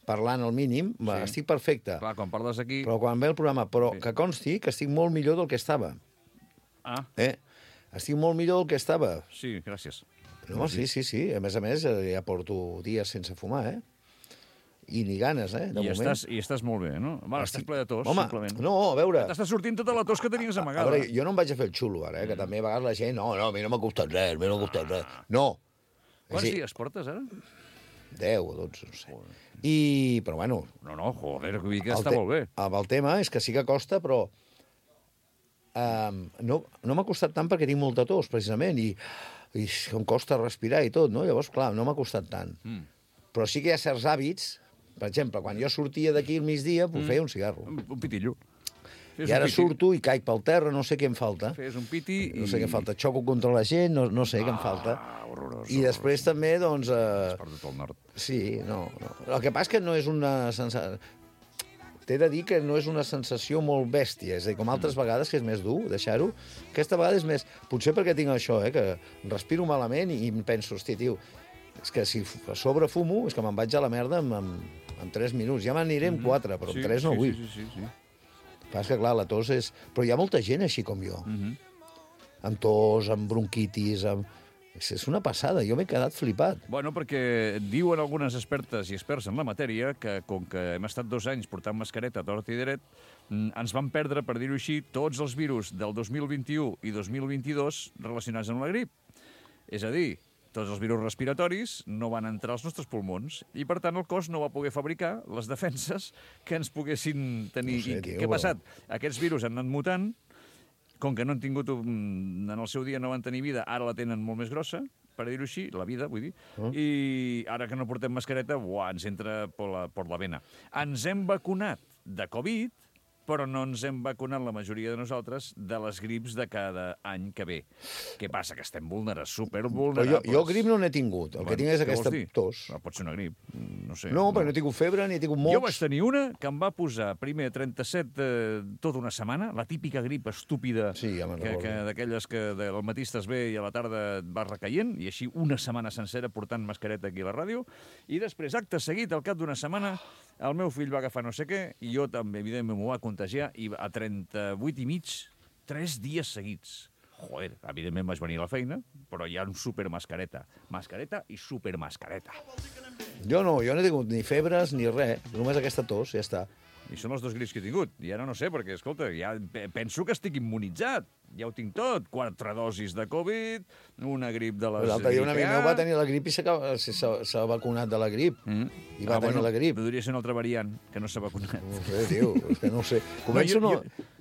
parlant al mínim, va, Sí. estic perfecte. Clar, quan parles aquí... Però quan ve el programa, però Sí. que consti que estic molt millor del que estava. Ah, Eh? Estic molt millor del que estava. sí, gràcies. No, sí, sí, sí. A més a més, eh, ja porto dies sense fumar, eh? I ni ganes, eh? De I moment. estàs, I estàs molt bé, no? Bueno, estàs ple de tos, Home, simplement. no, a veure... T'està sortint tota la tos que tenies A amagada. veure, jo no em vaig a fer el xulo, ara, eh? Que també a vegades la gent... No, no, a mi no m'ha costat res, a mi no m'ha costat res. No. Quants Sí, dies portes, ara? deu o dotze, no sé. I, però bueno... No, no, joder, vull dir que el està te- molt bé. El, el tema és que sí que costa, però... Um, no no m'ha costat tant perquè tinc molta tos, precisament, i, i em costa respirar i tot, no? Llavors, clar, no m'ha costat tant. Mm. Però sí que hi ha certs hàbits. Per exemple, quan jo sortia d'aquí al migdia, pues, feia un cigarro. Un, un pitillo. Fes I un ara piti. surto i caic pel terra, no sé què em falta. Fes un piti i... No sé què em falta. Xoco contra la gent, no, no sé què em falta. Ah, horrorós. I després també, doncs... Has Eh, perdut el nord. sí, no, no. El que passa és que no és una sensació... T'he de dir que no és una sensació molt bèstia, és a dir, com altres vegades, que és més dur deixar-ho, aquesta vegada és més... Potser perquè tinc això, eh, que respiro malament i em penso, hòstia, tio, és que si a sobre fumo, és que me'n vaig a la merda en, en, en tres minuts. Ja m'aniré en quatre, però en tres no sí, vull. Sí, sí, sí, sí. Passa que, clar, la tos és... Però hi ha molta gent així com jo, Mhm. amb tos, amb bronquitis, amb... És, és una passada, jo m'he quedat flipat. Bueno, perquè diuen algunes expertes i experts en la matèria que, com que hem estat dos anys portant mascareta a tort i dret, mm, ens van perdre, per dir-ho així, tots els virus del dos mil vint-i-u i dos mil vint-i-dos relacionats amb la grip. És a dir, tots els virus respiratoris no van entrar als nostres pulmons i, per tant, el cos no va poder fabricar les defenses que ens poguessin tenir. No sé, I tio, què ha però- passat? Aquests virus han anat mutant, com que no han tingut, un, en el seu dia no van tenir vida, ara la tenen molt més grossa, per dir-ho així, la vida, vull dir, Ah. i ara que no portem mascareta, uah, ens entra per la, per la vena. Ens hem vacunat de Covid, però no ens hem vacunat la majoria de nosaltres de les grips de cada any que ve. Què passa? Que estem vulnerables, Però supervulnerables. jo, jo grip no n'he tingut, el que tinc és què aquesta vols dir? tos. Ah, pot ser una grip, no sé. No, perquè no he tingut febre, ni he tingut mocs. Jo vaig tenir una que em va posar primer trenta-set eh, tota una setmana, la típica grip estúpida, Sí, ja me'n que, recordo. que d'aquelles que de, al matí estàs bé i a la tarda et vas recaient, i així una setmana sencera portant mascareta aquí a la ràdio, i després, acte seguit, al cap d'una setmana, el meu fill va agafar no sé què, i jo també, evidentment, m'ho va contagiar, i a trenta-vuit i mig, tres dies seguits. Joder, evidentment vaig venir a la feina, però hi ha un supermascareta. Mascareta i supermascareta. Jo no, jo no he tingut ni febres ni res, només aquesta tos, ja està. I són els dos grips que he tingut. I ara no sé, perquè, escolta, ja pe- penso que estic immunitzat. Ja ho tinc tot. Quatre dosis de Covid, una grip de les... L'altre dia un amic grip A. meu va tenir la grip i s'ha s'ha- s'ha vacunat de la grip. Mm. I va tenir la grip. Podria ser una altra variant, que no s'ha vacunat. No ho sé, tio, és que no ho sé. Començo no,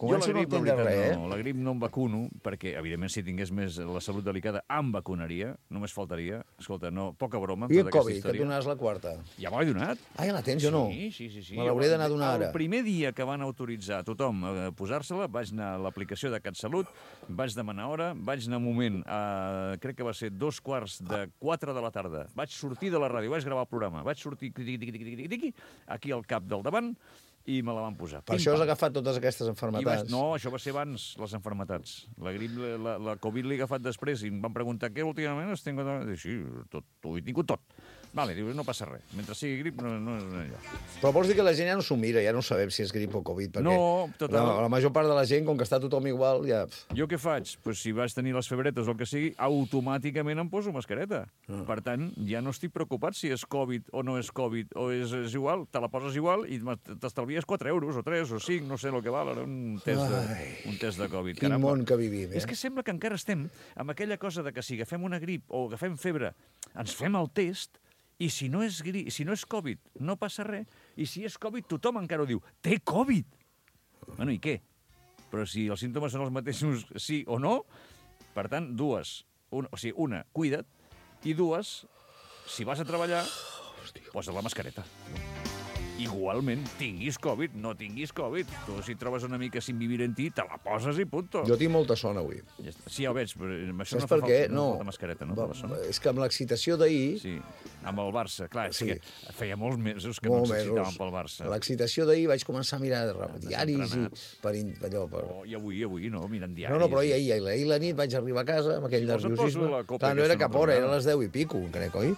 començo jo no la a grip, entendre la veritat, res, no. eh? La grip no em vacuno, perquè, evidentment, si tingués més la salut delicada, em vacunaria. Només faltaria. Escolta, no, poca broma amb I el tota aquesta Covid, que et història. donaves la quarta. Ja m'ho he donat. Ah, ja la tens, jo no. Sí, sí, sí. sí. Me l'hauré d'anar a donar El ara. primer dia que van autoritzar a tothom a posar-se-la, vaig anar a l'aplicació de CatSalut, vaig demanar hora, vaig anar un moment, a, crec que va ser dos quarts de quatre de la tarda. Vaig sortir de la ràdio, vaig gravar el programa, vaig sortir tiqui, tiqui, tiqui, tiqui, tiqui, aquí al cap del davant i me la van posar. Per Pim, això has pam. agafat totes aquestes I vaig, enfermetats. no, això va ser abans, les enfermetats. La grip, la, la, la Covid l'he agafat després i em van preguntar què últimament has tingut... I sí, tot, ho he tingut tot. Vale, diu, no passa res. Mentre sigui grip, no, no és allò. Però vols dir que la gent ja no s'ho mira, ja no sabem si és grip o Covid, perquè No, total. la, la major part de la gent, com que està tothom igual, ja... Jo què faig? Pues si vaig tenir les febretes o el que sigui, automàticament em poso mascareta. Ah. Per tant, ja no estic preocupat si és Covid o no és Covid, o és, és igual, te la poses igual i t'estalvies quatre euros, o tres, o cinc, no sé el que val, ara un test de, un test de Covid. Quin Caramba. món que vivim, eh? És que sembla que encara estem amb aquella cosa de que si agafem una grip o agafem febre, ens fem el test i si no és gri... si no és Covid, no passa res, i si és Covid, tothom encara ho diu. Té Covid! Bueno, i què? Però si els símptomes són els mateixos sí o no, per tant, dues. Un, o sigui, una, cuida't, i dues, si vas a treballar, posa la mascareta. Igualment, tinguis Covid, no tinguis Covid. Tu, si trobes una mica sin vivir en ti, te la poses i punto. Jo tinc molta son avui. Ja està. Sí, ja ho veig, però amb això Saps no fa per què? falta, no. No. falta mascareta, no? Va, Per la son. és que amb l'excitació d'ahir... Sí, amb el Barça, clar, és Sí. que feia molts mesos que Molt no ens excitàvem mesos. pel Barça. L'excitació d'ahir vaig començar a mirar diaris i entrenats. per, in- allò, per... Oh, I avui, avui, no, mirant diaris. No, no, però ahir, ahir, ahir, ahir la nit vaig arribar a casa amb aquell Si vols et nerviosisme. poso la copa Clar, no era aquesta cap hora, no era tornarà. a les deu i pico, crec, oi?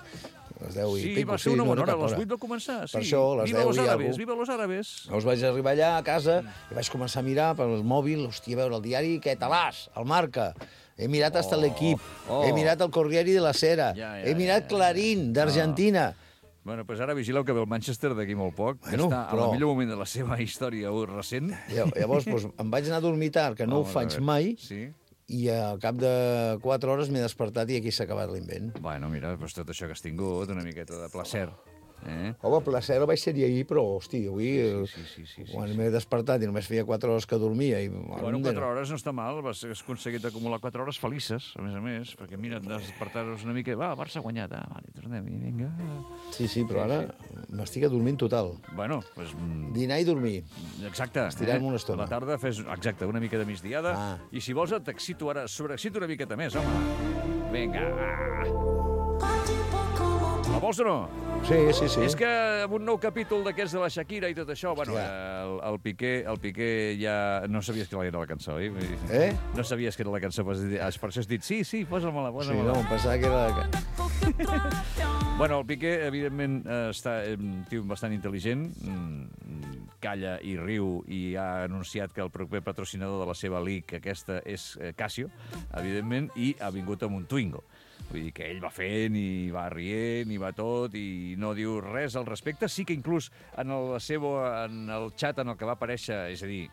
A les deu i Sí, pico, va ser una no bona era hora, cap a les hora. vuit va començar, sí. Per això, a les Viva deu los i árabes, alguna viva los árabes. Llavors vaig arribar allà a casa i vaig començar a mirar pel mòbil, hòstia, a veure el diari, què talàs, el Marca. He mirat hasta l'equip, oh. he mirat el Corriere de la Sera, Ja, ja, he mirat ja, ja. Clarín, d'Argentina. Bueno, doncs ara vigileu que ve el Manchester d'aquí molt poc, que Bueno, està però- al millor moment de la seva història recent. Llavors doncs, em vaig anar a dormir tard, que no ho Vamos a faig ver. mai, Sí? i al cap de quatre hores m'he despertat i aquí s'ha acabat l'invent. Bueno, mira, doncs tot això que has tingut, una miqueta de placer. Eh? Home, placer vaig ser ahir, però, hosti, avui, Sí, sí, sí, sí, sí, quan sí. m'he despertat i només feia quatre hores que dormia... I, Bueno, quatre hores no està mal, has aconseguit acumular quatre hores felices, a més a més, perquè mira, has despertar-nos una mica, va, el Barça ha guanyat, ah, vale, tornem, i vinga. Sí, sí, però ara m'estic adormint total. Bueno, doncs... mm, Dinar i dormir. Exacte. Estirem una estona. A la tarda fes, exacte, una mica de migdiada. Ah. I si vols t'excito ara, sobreexcito una miqueta més, home. Vinga, va. La vols o no? Sí, sí, sí. És que amb un nou capítol d'aquests de la Shakira i tot això, bueno, Hòstia. el, el, Piqué, el Piqué ja... No sabies que era la cançó, oi? Vull dir, Eh? No sabies que era la cançó, per per això has dit, sí, sí, posa-me-la, Sí, posa-me-la. no, em pensava que era... Bueno, el Piqué, evidentment, eh, està eh, un tio bastant intel·ligent, mm, calla i riu i ha anunciat que el proper patrocinador de la seva league aquesta és eh, Casio, evidentment, i ha vingut amb un Twingo. Vull dir que ell va fent i va rient i va tot i no diu res al respecte. Sí que inclús en el seu, en el xat en el que va aparèixer, és a dir,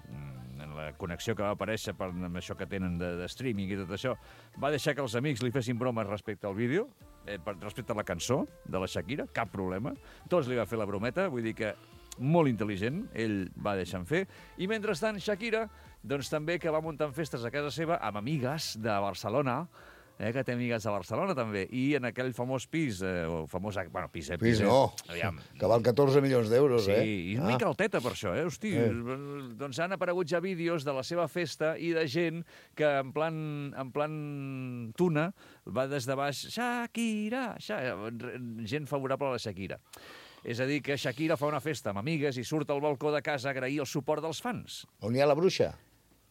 en la connexió que va aparèixer per, amb això que tenen de, de streaming i tot això, va deixar que els amics li fessin bromes respecte al vídeo, eh, per, respecte a la cançó de la Shakira, cap problema. Tots li va fer la brometa, vull dir que molt intel·ligent, ell va deixant fer. I mentrestant, Shakira, doncs també que va muntant festes a casa seva amb amigues de Barcelona, eh, que té amigues de Barcelona també, i en aquell famós pis, eh, o famós, bueno, pis, eh, Pis eh, no, aviam, que val catorze milions d'euros, sí, eh? i una mica alteta per això, eh? Hosti, Eh. doncs han aparegut ja vídeos de la seva festa i de gent que en plan, en plan tuna va des de baix, Shakira, Shakira, gent favorable a la Shakira. És a dir, que Shakira fa una festa amb amigues i surt al balcó de casa a agrair el suport dels fans. On hi ha la bruixa?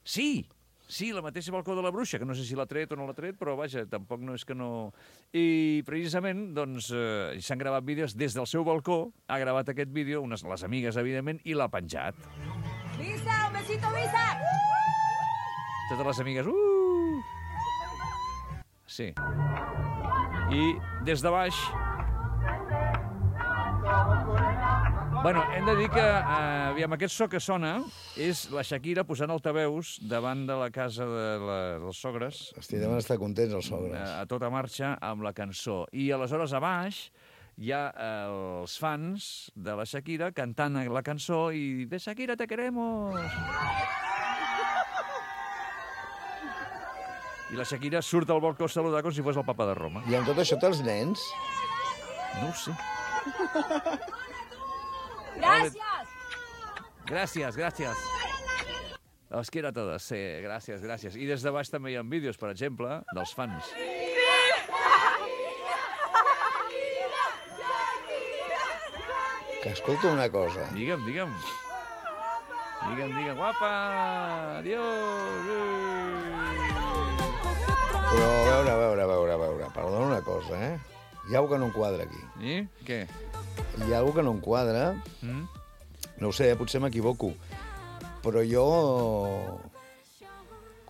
Sí, sí, la mateixa balcó de la bruixa, que no sé si l'ha tret o no l'ha tret, però vaja, tampoc no és que no... I precisament, doncs, eh, s'han gravat vídeos des del seu balcó, ha gravat aquest vídeo, unes, les amigues, evidentment, i l'ha penjat. ¡Visa! ¡Un besito, Visa! Totes les amigues, uh! Sí. I des de baix... Bueno, hem de dir que, eh, aviam, aquest so que sona és la Shakira posant altaveus davant de la casa de la, dels sogres, Hosti, deuen estar contents els sogres. a tota marxa amb la cançó. I aleshores a baix hi ha eh, els fans de la Shakira cantant la cançó i de Shakira te queremos. I la Shakira surt al balcó a saludar com si fos el papa de Roma. I amb tot això té els nens? No ho sé. ¡Gracias! Gràcies, gràcies. Os quiero a todos, sí, gràcies, gràcies. I des de baix també hi ha vídeos, per exemple, dels fans. Que escolta una cosa. Digue'm, digue'm. Digue'm, digue'm, guapa, adiós. Eh. Però a veure, a veure, a veure, a veure. Perdona una cosa, eh? Hi ha alguna que no em quadra aquí. I què? Hi ha alguna que no em quadra. Mm? No ho sé, potser m'equivoco. Però jo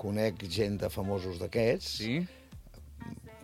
conec gent de famosos d'aquests, Sí?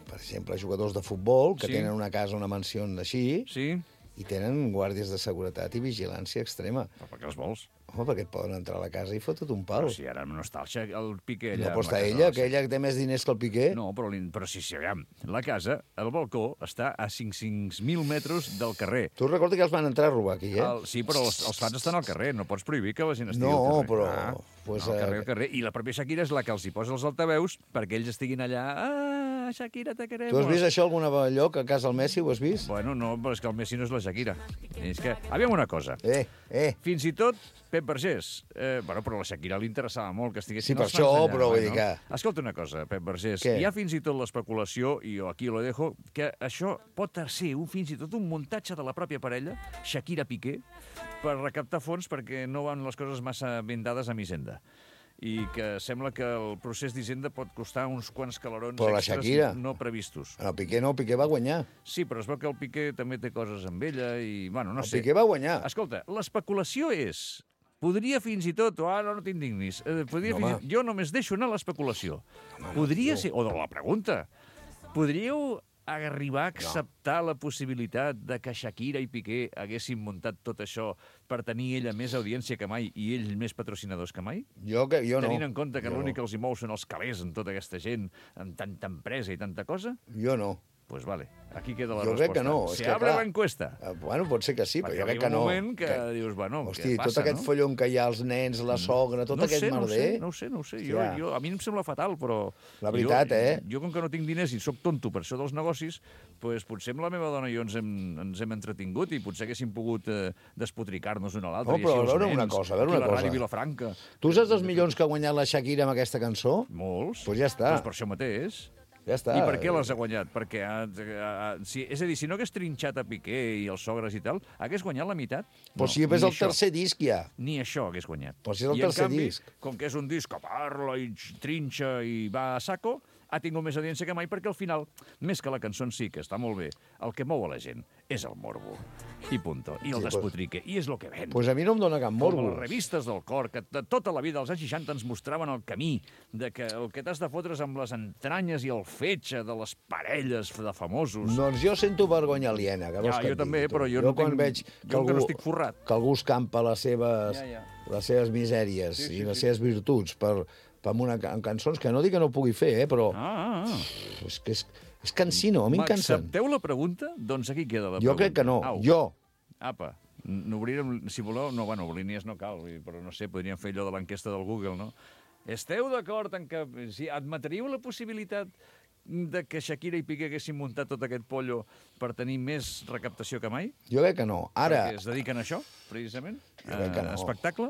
per exemple, jugadors de futbol, que Sí. tenen una casa, una mansió així, Sí? i tenen guàrdies de seguretat i vigilància extrema. Però per què els vols? Home, perquè et poden entrar a la casa i fotut un pal. Però si ara no està el, Xa- el Piqué allà... No pot amb la estar casa ella, de que ella té més diners que el Piqué. No, però, l'in- però sí, sí, aviam. La casa, el balcó, està a cinc mil metres del carrer. Tu recorda que els van entrar a robar aquí, eh? El, sí, però els, els fans estan al carrer. No pots prohibir que la gent estigui No, al carrer. però, Ah, pues, no, al carrer, eh, al carrer. I la pròpia Shakira és la que els hi posa els altaveus perquè ells estiguin allà... Ah, Shakira, te queremos. Tu has vist això alguna lloc a casa del Messi? Ho has vist? Bueno, no, però és que el Messi no és la Shakira. És que... Aviam una cosa. Eh, eh. Fins i tot Pep Vergés. Eh, bueno, però a la Shakira li interessava molt que estiguessin Sí, per els fans això, allà, però vull bueno. dir que- Escolta una cosa, Pep Vergés. Què? Hi ha fins i tot l'especulació, i jo aquí lo dejo, que això pot ser un, fins i tot un muntatge de la pròpia parella, Shakira-Piqué, per recaptar fons perquè no van les coses massa ben dades amb Hisenda. I que sembla que el procés d'Hisenda pot costar uns quants calarons Però la extras Shakira. no previstos. El Piqué no, el Piqué va guanyar. Sí, però es veu que el Piqué també té coses amb ella i, bueno, no El sé. Piqué va guanyar. Escolta, l'especulació és... Podria fins i tot, o ara no t'indignis, eh, podria No, fins i home. tot, jo només deixo anar l'especulació. Podria ser, o de la pregunta, podríeu arribar a acceptar la possibilitat de que Shakira i Piqué haguessin muntat tot això per tenir ella més audiència que mai i ells més patrocinadors que mai? Jo, que, jo no. Tenint en compte que Jo l'únic no. que els hi mou són els calés amb tota aquesta gent, amb tanta empresa i tanta cosa? Jo no. Pues vale, aquí queda la Jo resposta. crec que no, és Se que, abre clar, la encuesta. Eh, Bueno, pot ser que sí, però Perquè jo crec arriba que un no. moment que, dius, bueno, Hosti, què passa, tot aquest no? follon que hi ha, els nens, la sogra, tot no aquest sé, no ho merder... sé, no ho sé, no ho sé. Jo, Hòstia. jo, a mi em sembla fatal, però... La veritat, jo, eh? Jo, com que no tinc diners i sóc tonto per això dels negocis, pues, potser amb la meva dona i jo ens hem, ens hem entretingut i potser haguéssim pogut eh, despotricar-nos un a l'altre. No, i però així els a veure una nens, cosa, a veure aquí una la Ràdio cosa. Vilafranca. Tu saps els milions que ha guanyat la Shakira amb aquesta cançó? Molts. Pues ja està. Pues per això mateix. Ja està. I per què les ha guanyat? Perquè, ha, ha, si, és a dir, si no hagués trinxat a Piqué i els sogres i tal, hagués guanyat la meitat? Però si és ni el això. tercer disc ja. Ni això hagués guanyat. Però si és el I, tercer en canvi, disc. com que és un disc que parla i trinxa i va a saco, ha tingut més audiència que mai perquè al final, més que la cançó en si, que està molt bé, el que mou a la gent és el morbo. I punto. I el Sí, pues- despotrique. I és el que ven. Doncs pues a mi no em dona cap Com morbo. les revistes del cor, que de tota la vida als anys seixanta ens mostraven el camí, de que el que t'has de fotre's amb les entranyes i el fetge de les parelles de famosos. Doncs jo sento vergonya aliena. Que vols Ja, que jo et també, digui, tu? però jo jo no quan tinc- veig jo que encara algú, no estic forrat. que algú escampa les seves, Ja, ja. les seves misèries Sí, sí, i les sí. seves virtuts per, per una, ca- en cançons, que no dic que no ho pugui fer, eh, però Ah, ah, ah. és que és, és cansino, a mi em cansen. M'accepteu la pregunta? Doncs aquí queda la Jo pregunta. crec que no. Au. Jo. Apa, n'obrirem, si voleu, no, bueno, línies no cal, vull dir, però no sé, podríem fer allò de l'enquesta del Google, no? Esteu d'acord en que, si admetríeu la possibilitat de que Shakira i Piqué haguessin muntat tot aquest pollo per tenir més recaptació que mai? Jo crec que no. Ara, Perquè es dediquen a això, precisament? Jo crec que no. Espectacle?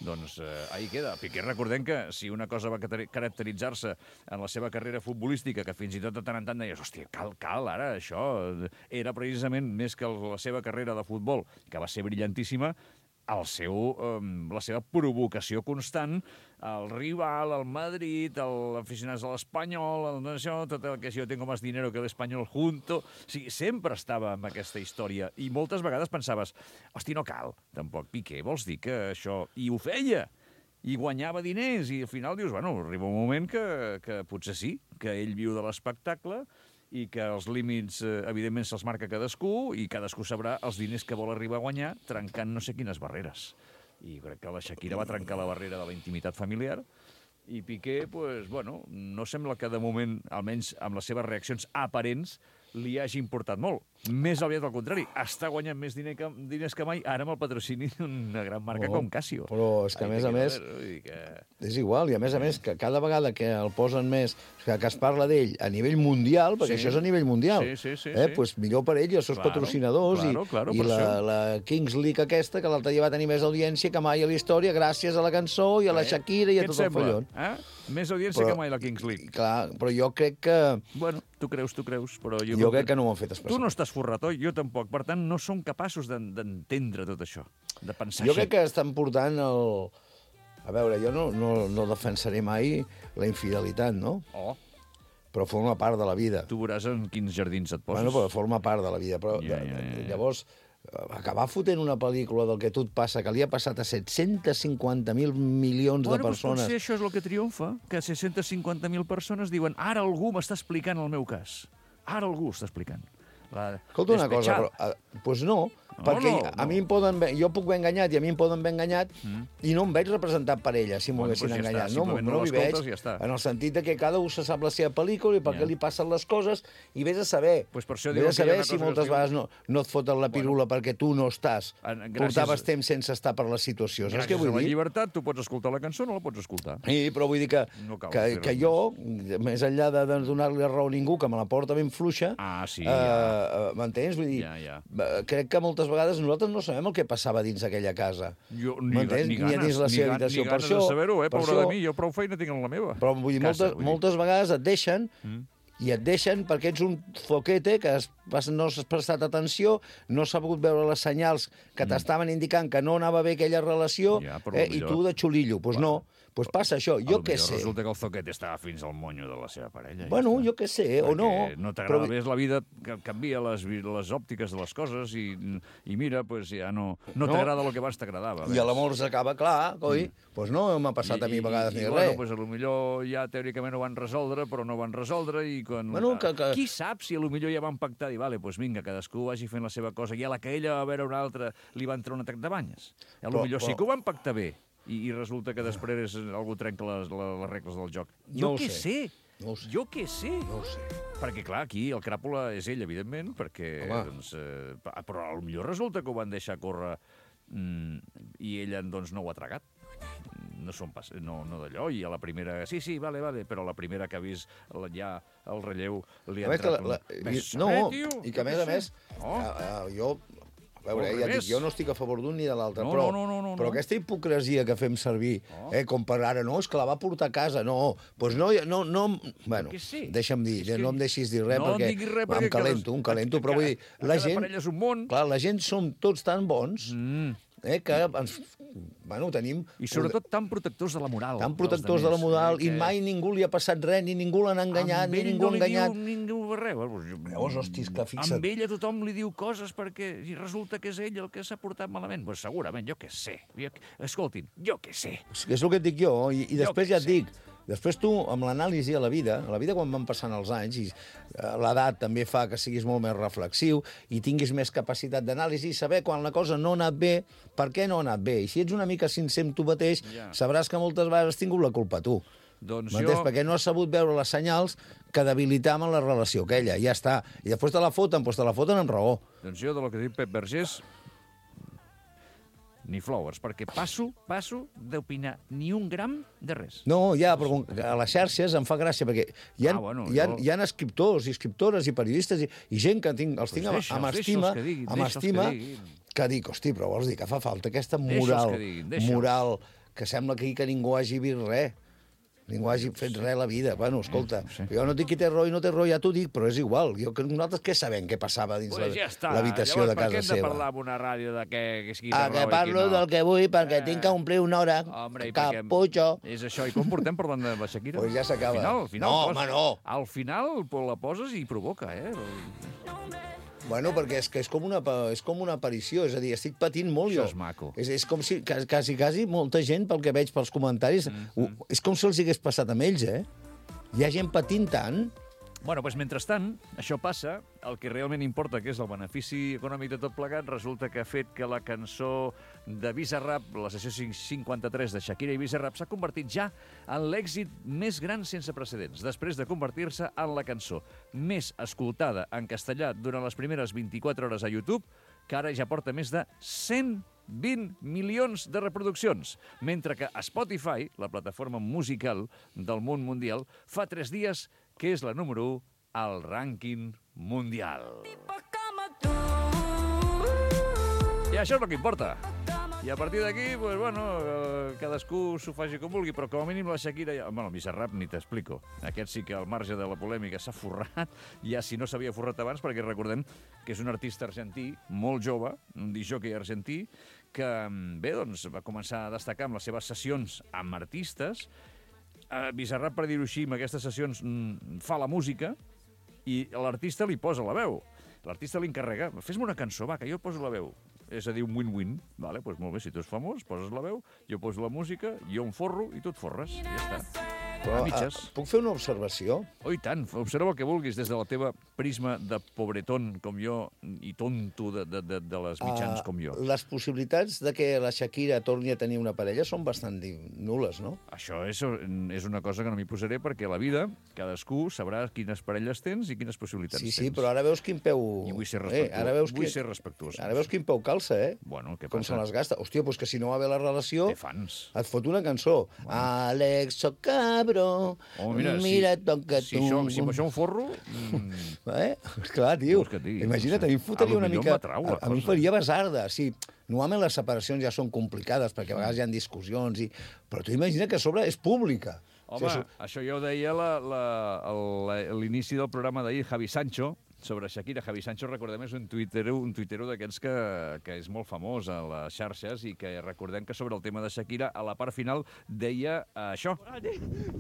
Doncs eh, ahí queda. Piqué, recordem que si una cosa va cata- caracteritzar-se en la seva carrera futbolística, que fins i tot de tant en tant deies, hòstia, cal, cal, ara, això era precisament més que el- la seva carrera de futbol, que va ser brillantíssima, el seu, eh, la seva provocació constant al rival, al Madrid, als aficionats de l'Espanyol, el, això, tot el que si jo tengo más dinero que l'Espanyol junto... O sigui, sempre estava amb aquesta història i moltes vegades pensaves, hosti, no cal, tampoc, Piqué, vols dir que això... I ho feia, i guanyava diners, i al final dius, bueno, arriba un moment que, que potser sí, que ell viu de l'espectacle i que els límits, eh, evidentment, se'ls marca cadascú i cadascú sabrà els diners que vol arribar a guanyar trencant no sé quines barreres. I crec que la Shakira va trencar la barrera de la intimitat familiar i Piqué, pues, bueno, no sembla que de moment, almenys amb les seves reaccions aparents, li hagi importat molt. Més aviat al contrari, està guanyant més diner que, diners que mai, ara amb el patrocini d'una gran marca Oh, com Casio. però és que, a Ahí més te a queda més, ver, vull dir que... és igual, i a més a més, que cada vegada que el posen més, que, que es parla d'ell a nivell mundial, perquè Sí. això és a nivell mundial, Sí, sí, sí, eh? sí. Pues millor per ell i els seus Claro, patrocinadors, claro, i, claro, i per la, això. la Kings League aquesta, que l'altre dia va tenir més audiència que mai a la història, gràcies a la cançó i a la Eh? Shakira i a Què et tot el sembla? follon. Eh? Més audiència Però- que mai la Kings League. I clar, però jo crec que, Bueno, tu creus, tu creus, però jo... jo crec que no ho han fet Tu especial. no estàs forrat, oi? Jo tampoc. Per tant, no som capaços d'en- d'entendre tot això, de pensar Jo així. crec que estan portant el... A veure, jo no, no, no defensaré mai la infidelitat, no? Oh, però forma part de la vida. Tu veuràs en quins jardins et poses. Bueno, però forma part de la vida. Però, Ja, ja, ja, ja. Llavors, acabar fotent una pel·lícula del que a tu et passa, que li ha passat a set-cents cinquanta mil milions Bueno, de doncs persones... potser això és el que triomfa, que set-cents cinquanta mil persones diuen ara algú m'està explicant el meu cas. Ara algú està explicant. La Escolta una cosa, despechada. però... Doncs pues no, No, perquè no, a no. mi em poden... haver- Jo puc haver enganyat i a mi em poden haver enganyat Mm. i no em veig representat per ella, si m'ho Bueno, haguessin doncs ja està, enganyat. No, simplement no no m'hi l'escoltes veig, i ja està. en el sentit de que cada un se sap la seva pel·lícula i per Ja. què li passen les coses i vés a saber. Pues per això vés diuen a que hi ha saber una si cosa que moltes es diu- vegades no, no et foten la pirula perquè tu no estàs. En- gràcies- Portaves temps sense estar per la situació. Saps què Gràcies vull a la dir? llibertat, tu pots escoltar la cançó o no la pots escoltar. Sí, però vull dir que, No cal que, fer que res jo, més enllà de, de donar-li raó a ningú, que me la porta ben fluixa, Ah, sí, eh, ja. eh, m'entens? Vull dir, Ja, ja. eh, crec que moltes vegades nosaltres no sabem el que passava dins aquella casa. Jo, ni, M'entens? ni, Ni a ganes, dins la ni, seva ga- habitació. ni Per ganes això- de saber-ho, eh, per pobra això- de mi, jo prou feina tinc en la meva. Però vull dir, Casa, moltes, vull dir. moltes vegades et deixen Mm. i et deixen perquè ets un foquete que has, has, no has prestat atenció, no has sabut veure les senyals que t'estaven indicant que no anava bé aquella relació, Mm. Ja, però eh, i millor- tu de xulillo. Doncs pues no, pues passa això. Jo què sé. Resulta que el zoquet estava fins al monyo de la seva parella. Bueno, ja jo què sé, o no. Perquè no t'agrada però- més la vida, que canvia les, vi- les òptiques de les coses i, i mira, pues ja no, no, No. t'agrada el que abans t'agradava. I a l'amor s'acaba clar, coi. Doncs pues no m'ha passat a mi a vegades i, ni i, res. Bueno, pues, a lo millor ja teòricament ho van resoldre, però no van resoldre i quan... Bueno, que- que- Qui sap si a lo millor ja van pactar i vale, pues vinga, cadascú vagi fent la seva cosa i a la que ella va a veure una altra li va entrar un atac de banyes. A lo Però- millor sí però- que ho van pactar bé i, i resulta que després algú trenca les, les, les regles del joc. No Jo ho què sé. sé? No ho sé. Jo què sé? No ho sé. Perquè, clar, aquí el cràpula és ell, evidentment, perquè, Home. doncs, eh, però potser resulta que ho van deixar córrer mm, i ella, doncs, no ho ha tragat. No són pas, no, no d'allò, i a la primera... Sí, sí, vale, vale, però la primera que ha vist la, ja el relleu li ha A veure, que entrat la, la, un... i, Ves a no, saber, tio, i que jo a més què a més, sé. Oh. a, a, jo, a veure, Al ja dic, revés. jo no estic a favor d'un ni de l'altre, No, però, no, no, no, però no. aquesta hipocresia que fem servir, Oh. eh, com per ara, no, és que la va portar a casa, no, doncs no, no, no, bueno, què sé? deixa'm dir, És que no em deixis dir res, no perquè, diguis res em perquè calento, cada- em calento, però cada- vull dir, la cada gent, parella és un món. clar, la gent som tots tan bons, Mm. eh, que ens, bueno, tenim... I sobretot tan protectors de la moral. tan dels protectors de la demés, moral, eh, i que- mai ningú li ha passat res, ni ningú l'han enganyat, Amb ni ell ningú no ha li enganyat. Diu, ningú res. Bueno, jo- Llavors, hosti, és que fixa't. Amb ella tothom li diu coses perquè i resulta que és ell el que s'ha portat malament. Pues segurament, jo què sé. Jo, escoltin, jo què sé. És que és el que et dic jo, i, i Jo després què ja et sé. dic, després tu, amb l'anàlisi a la vida, a la vida quan van passant els anys, i eh, l'edat també fa que siguis molt més reflexiu i tinguis més capacitat d'anàlisi i saber quan la cosa no ha anat bé, per què no ha anat bé. I si ets una mica sincer amb tu mateix, Ja. sabràs que moltes vegades has tingut la culpa tu. Doncs M'entens? jo... Perquè no has sabut veure les senyals que debilitaven la relació aquella, ja està. I després te la foten, doncs te la foten amb raó. Doncs jo, de lo que diu Pep Vergés, ni flowers, perquè passo, passo d'opinar ni un gram de res. No, ja, però com que a les xarxes em fa gràcia, perquè hi ha, Ah, bueno, hi ha, jo- hi ha escriptors i escriptores i periodistes i, i gent que tinc, els Pues tinc amb, deixa'ls, amb deixa'ls estima, que diguin, amb deixa'ls que estima, diguin. que dic, hosti, però vols dir que fa falta aquesta Deixa'ls moral, que diguin, deixa'ls. moral, que sembla que, que ningú hagi vist res. Ningú hagi fet res a la vida. Bueno, escolta, sí. jo no dic qui té raó i no té raó, ja t'ho dic, però és igual. Jo, que nosaltres què sabem què passava dins Pues ja està. la- l'habitació de Llavors, per què casa hem de seva? parlar en una ràdio de què, que sigui de Ah, raó que i qui parlo no? del que vull perquè Eh. tinc que omplir una hora. Hombre, i perquè- Caputxo. És això. I com portem parlant de la Shakira? Pues ja s'acaba. Al final, al final, No, pos- home, no. Al final pues, la poses i provoca, eh? Bueno, perquè és que és com, una, pa- és com una aparició, és a dir, estic patint molt Això jo. és maco. És, és com si, quasi, quasi, quasi, molta gent, pel que veig pels comentaris, mm -hmm. ho, és com si els hagués passat amb ells, eh? Hi ha gent patint tant. Bueno, doncs, mentrestant, això passa, el que realment importa, que és el benefici econòmic de tot plegat, resulta que ha fet que la cançó de Bizarrap, la sessió cinquanta-tres de Shakira i Bizarrap, s'ha convertit ja en l'èxit més gran sense precedents, després de convertir-se en la cançó més escoltada en castellà durant les primeres vint-i-quatre hores a YouTube, que ara ja porta més de cent vint milions de reproduccions, mentre que Spotify, la plataforma musical del món mundial, fa tres dies que és la número u al rànquing mundial. I això és el que importa. I a partir d'aquí, pues, bueno, eh, cadascú s'ho faci com vulgui, però com a mínim la Shakira... Ja... Bueno, el Bizarrap ni t'explico. Aquest sí que al marge de la polèmica s'ha forrat, ja si no s'havia forrat abans, perquè recordem que és un artista argentí, molt jove, un disjockey argentí, que bé, doncs, va començar a destacar amb les seves sessions amb artistes, eh, Bizarrap, per dir-ho així, en aquestes sessions mm, fa la música i l'artista li posa la veu. L'artista li encarrega, fes-me una cançó, va, que jo poso la veu. És a dir, un win-win. Vale, doncs molt bé, si tu ets famós, poses la veu, jo poso la música, jo em forro i tu et forres. I ja està. Però, A mitges. uh, puc fer una observació? Oh, i tant, observa el que vulguis des de la teva prisma de pobretón com jo i tonto de, de, de, de les mitjans Uh, com jo. Les possibilitats de que la Shakira torni a tenir una parella són bastant di- nules, no? Això és, és una cosa que no m'hi posaré perquè a la vida cadascú sabrà quines parelles tens i quines possibilitats Sí, tens. sí, però ara veus quin peu... I vull ser eh, respectuós. ara veus Vull que... ser respectuós. Ara veus quin peu calça, eh? Bueno, què Com passa? se les gasta. Hòstia, doncs que si no va bé la relació... Té fans. Et fot una cançó. Bueno. Alex, soc cabro, Oh, mira, mira si, ton que si, tu... això, si amb això em forro... Mm, Eh? Esclar, tio. Vols que et digui? Imagina't, No sé. a mi em fotria A lo una millor mica... m'atrau la A, a mi em cosa. faria basarda, sí. Normalment les separacions ja són complicades, perquè a vegades hi ha discussions, i... però tu imagina que a sobre és pública. Home, O sigui, això ja ho deia la- la- el- l'inici del programa d'ahir, Javi Sancho, sobre Shakira. Javi Sancho, recordem, és un tuitero, un tuitero d'aquests que, que és molt famós a les xarxes i que recordem que sobre el tema de Shakira, a la part final, deia això.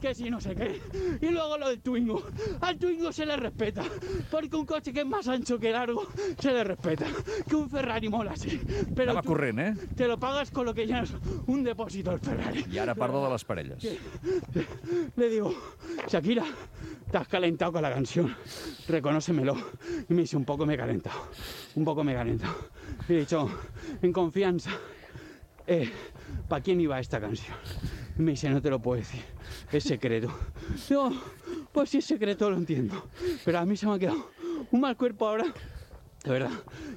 Que si no sé qué. Y luego lo del Twingo. Al Twingo se le respeta. Porque un coche que es más ancho que largo se le respeta. Que un Ferrari mola, sí. Pero Anava tú corrent, eh? te lo pagas con lo que llenas un depósito al Ferrari. I ara parla de les parelles. Le digo, Shakira, te has calentado con la canción. Reconócemelo. Y me dice, un poco me he calentado. Un poco me he calentado. Y he dicho, en confianza, eh, ¿para quién iba esta canción? Y me dice, no te lo puedo decir. Es secreto. Digo, pues si es secreto lo entiendo. Pero a mí se me ha quedado un mal cuerpo ahora. De verdad,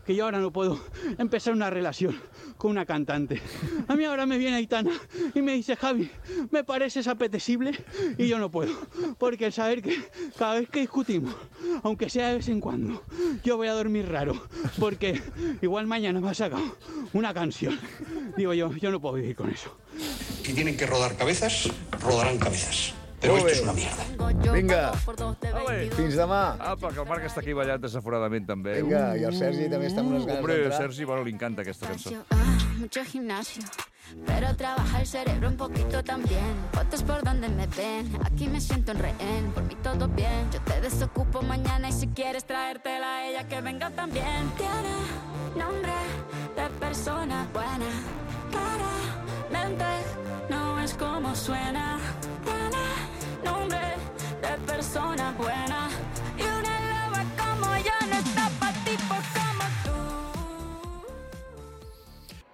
que yo ahora no puedo empezar una relación con una cantante. A mí ahora me viene Aitana y me dice, Javi, me pareces apetecible, y yo no puedo. Porque el saber que cada vez que discutimos, aunque sea de vez en cuando, yo voy a dormir raro, porque igual mañana me ha sacado una canción. Digo yo, yo no puedo vivir con eso. Si tienen que rodar cabezas, rodarán cabezas. Pero Molt esto bé. es una mierda. Vinga, Ale. fins demà. Apa, que el Marc està aquí ballant desaforadament, també. Vinga, i el Sergi també està amb unes ganes Hombre, d'entrar. Sergi, bueno, li encanta aquesta cançó. Ah, mucho gimnasio, pero trabaja el cerebro un poquito también. Fotos por donde me ven, aquí me siento en rehén. Por mí todo bien, yo te desocupo mañana y si quieres traértela a ella que venga también. Tiene nombre de persona buena, claramente no es como suena.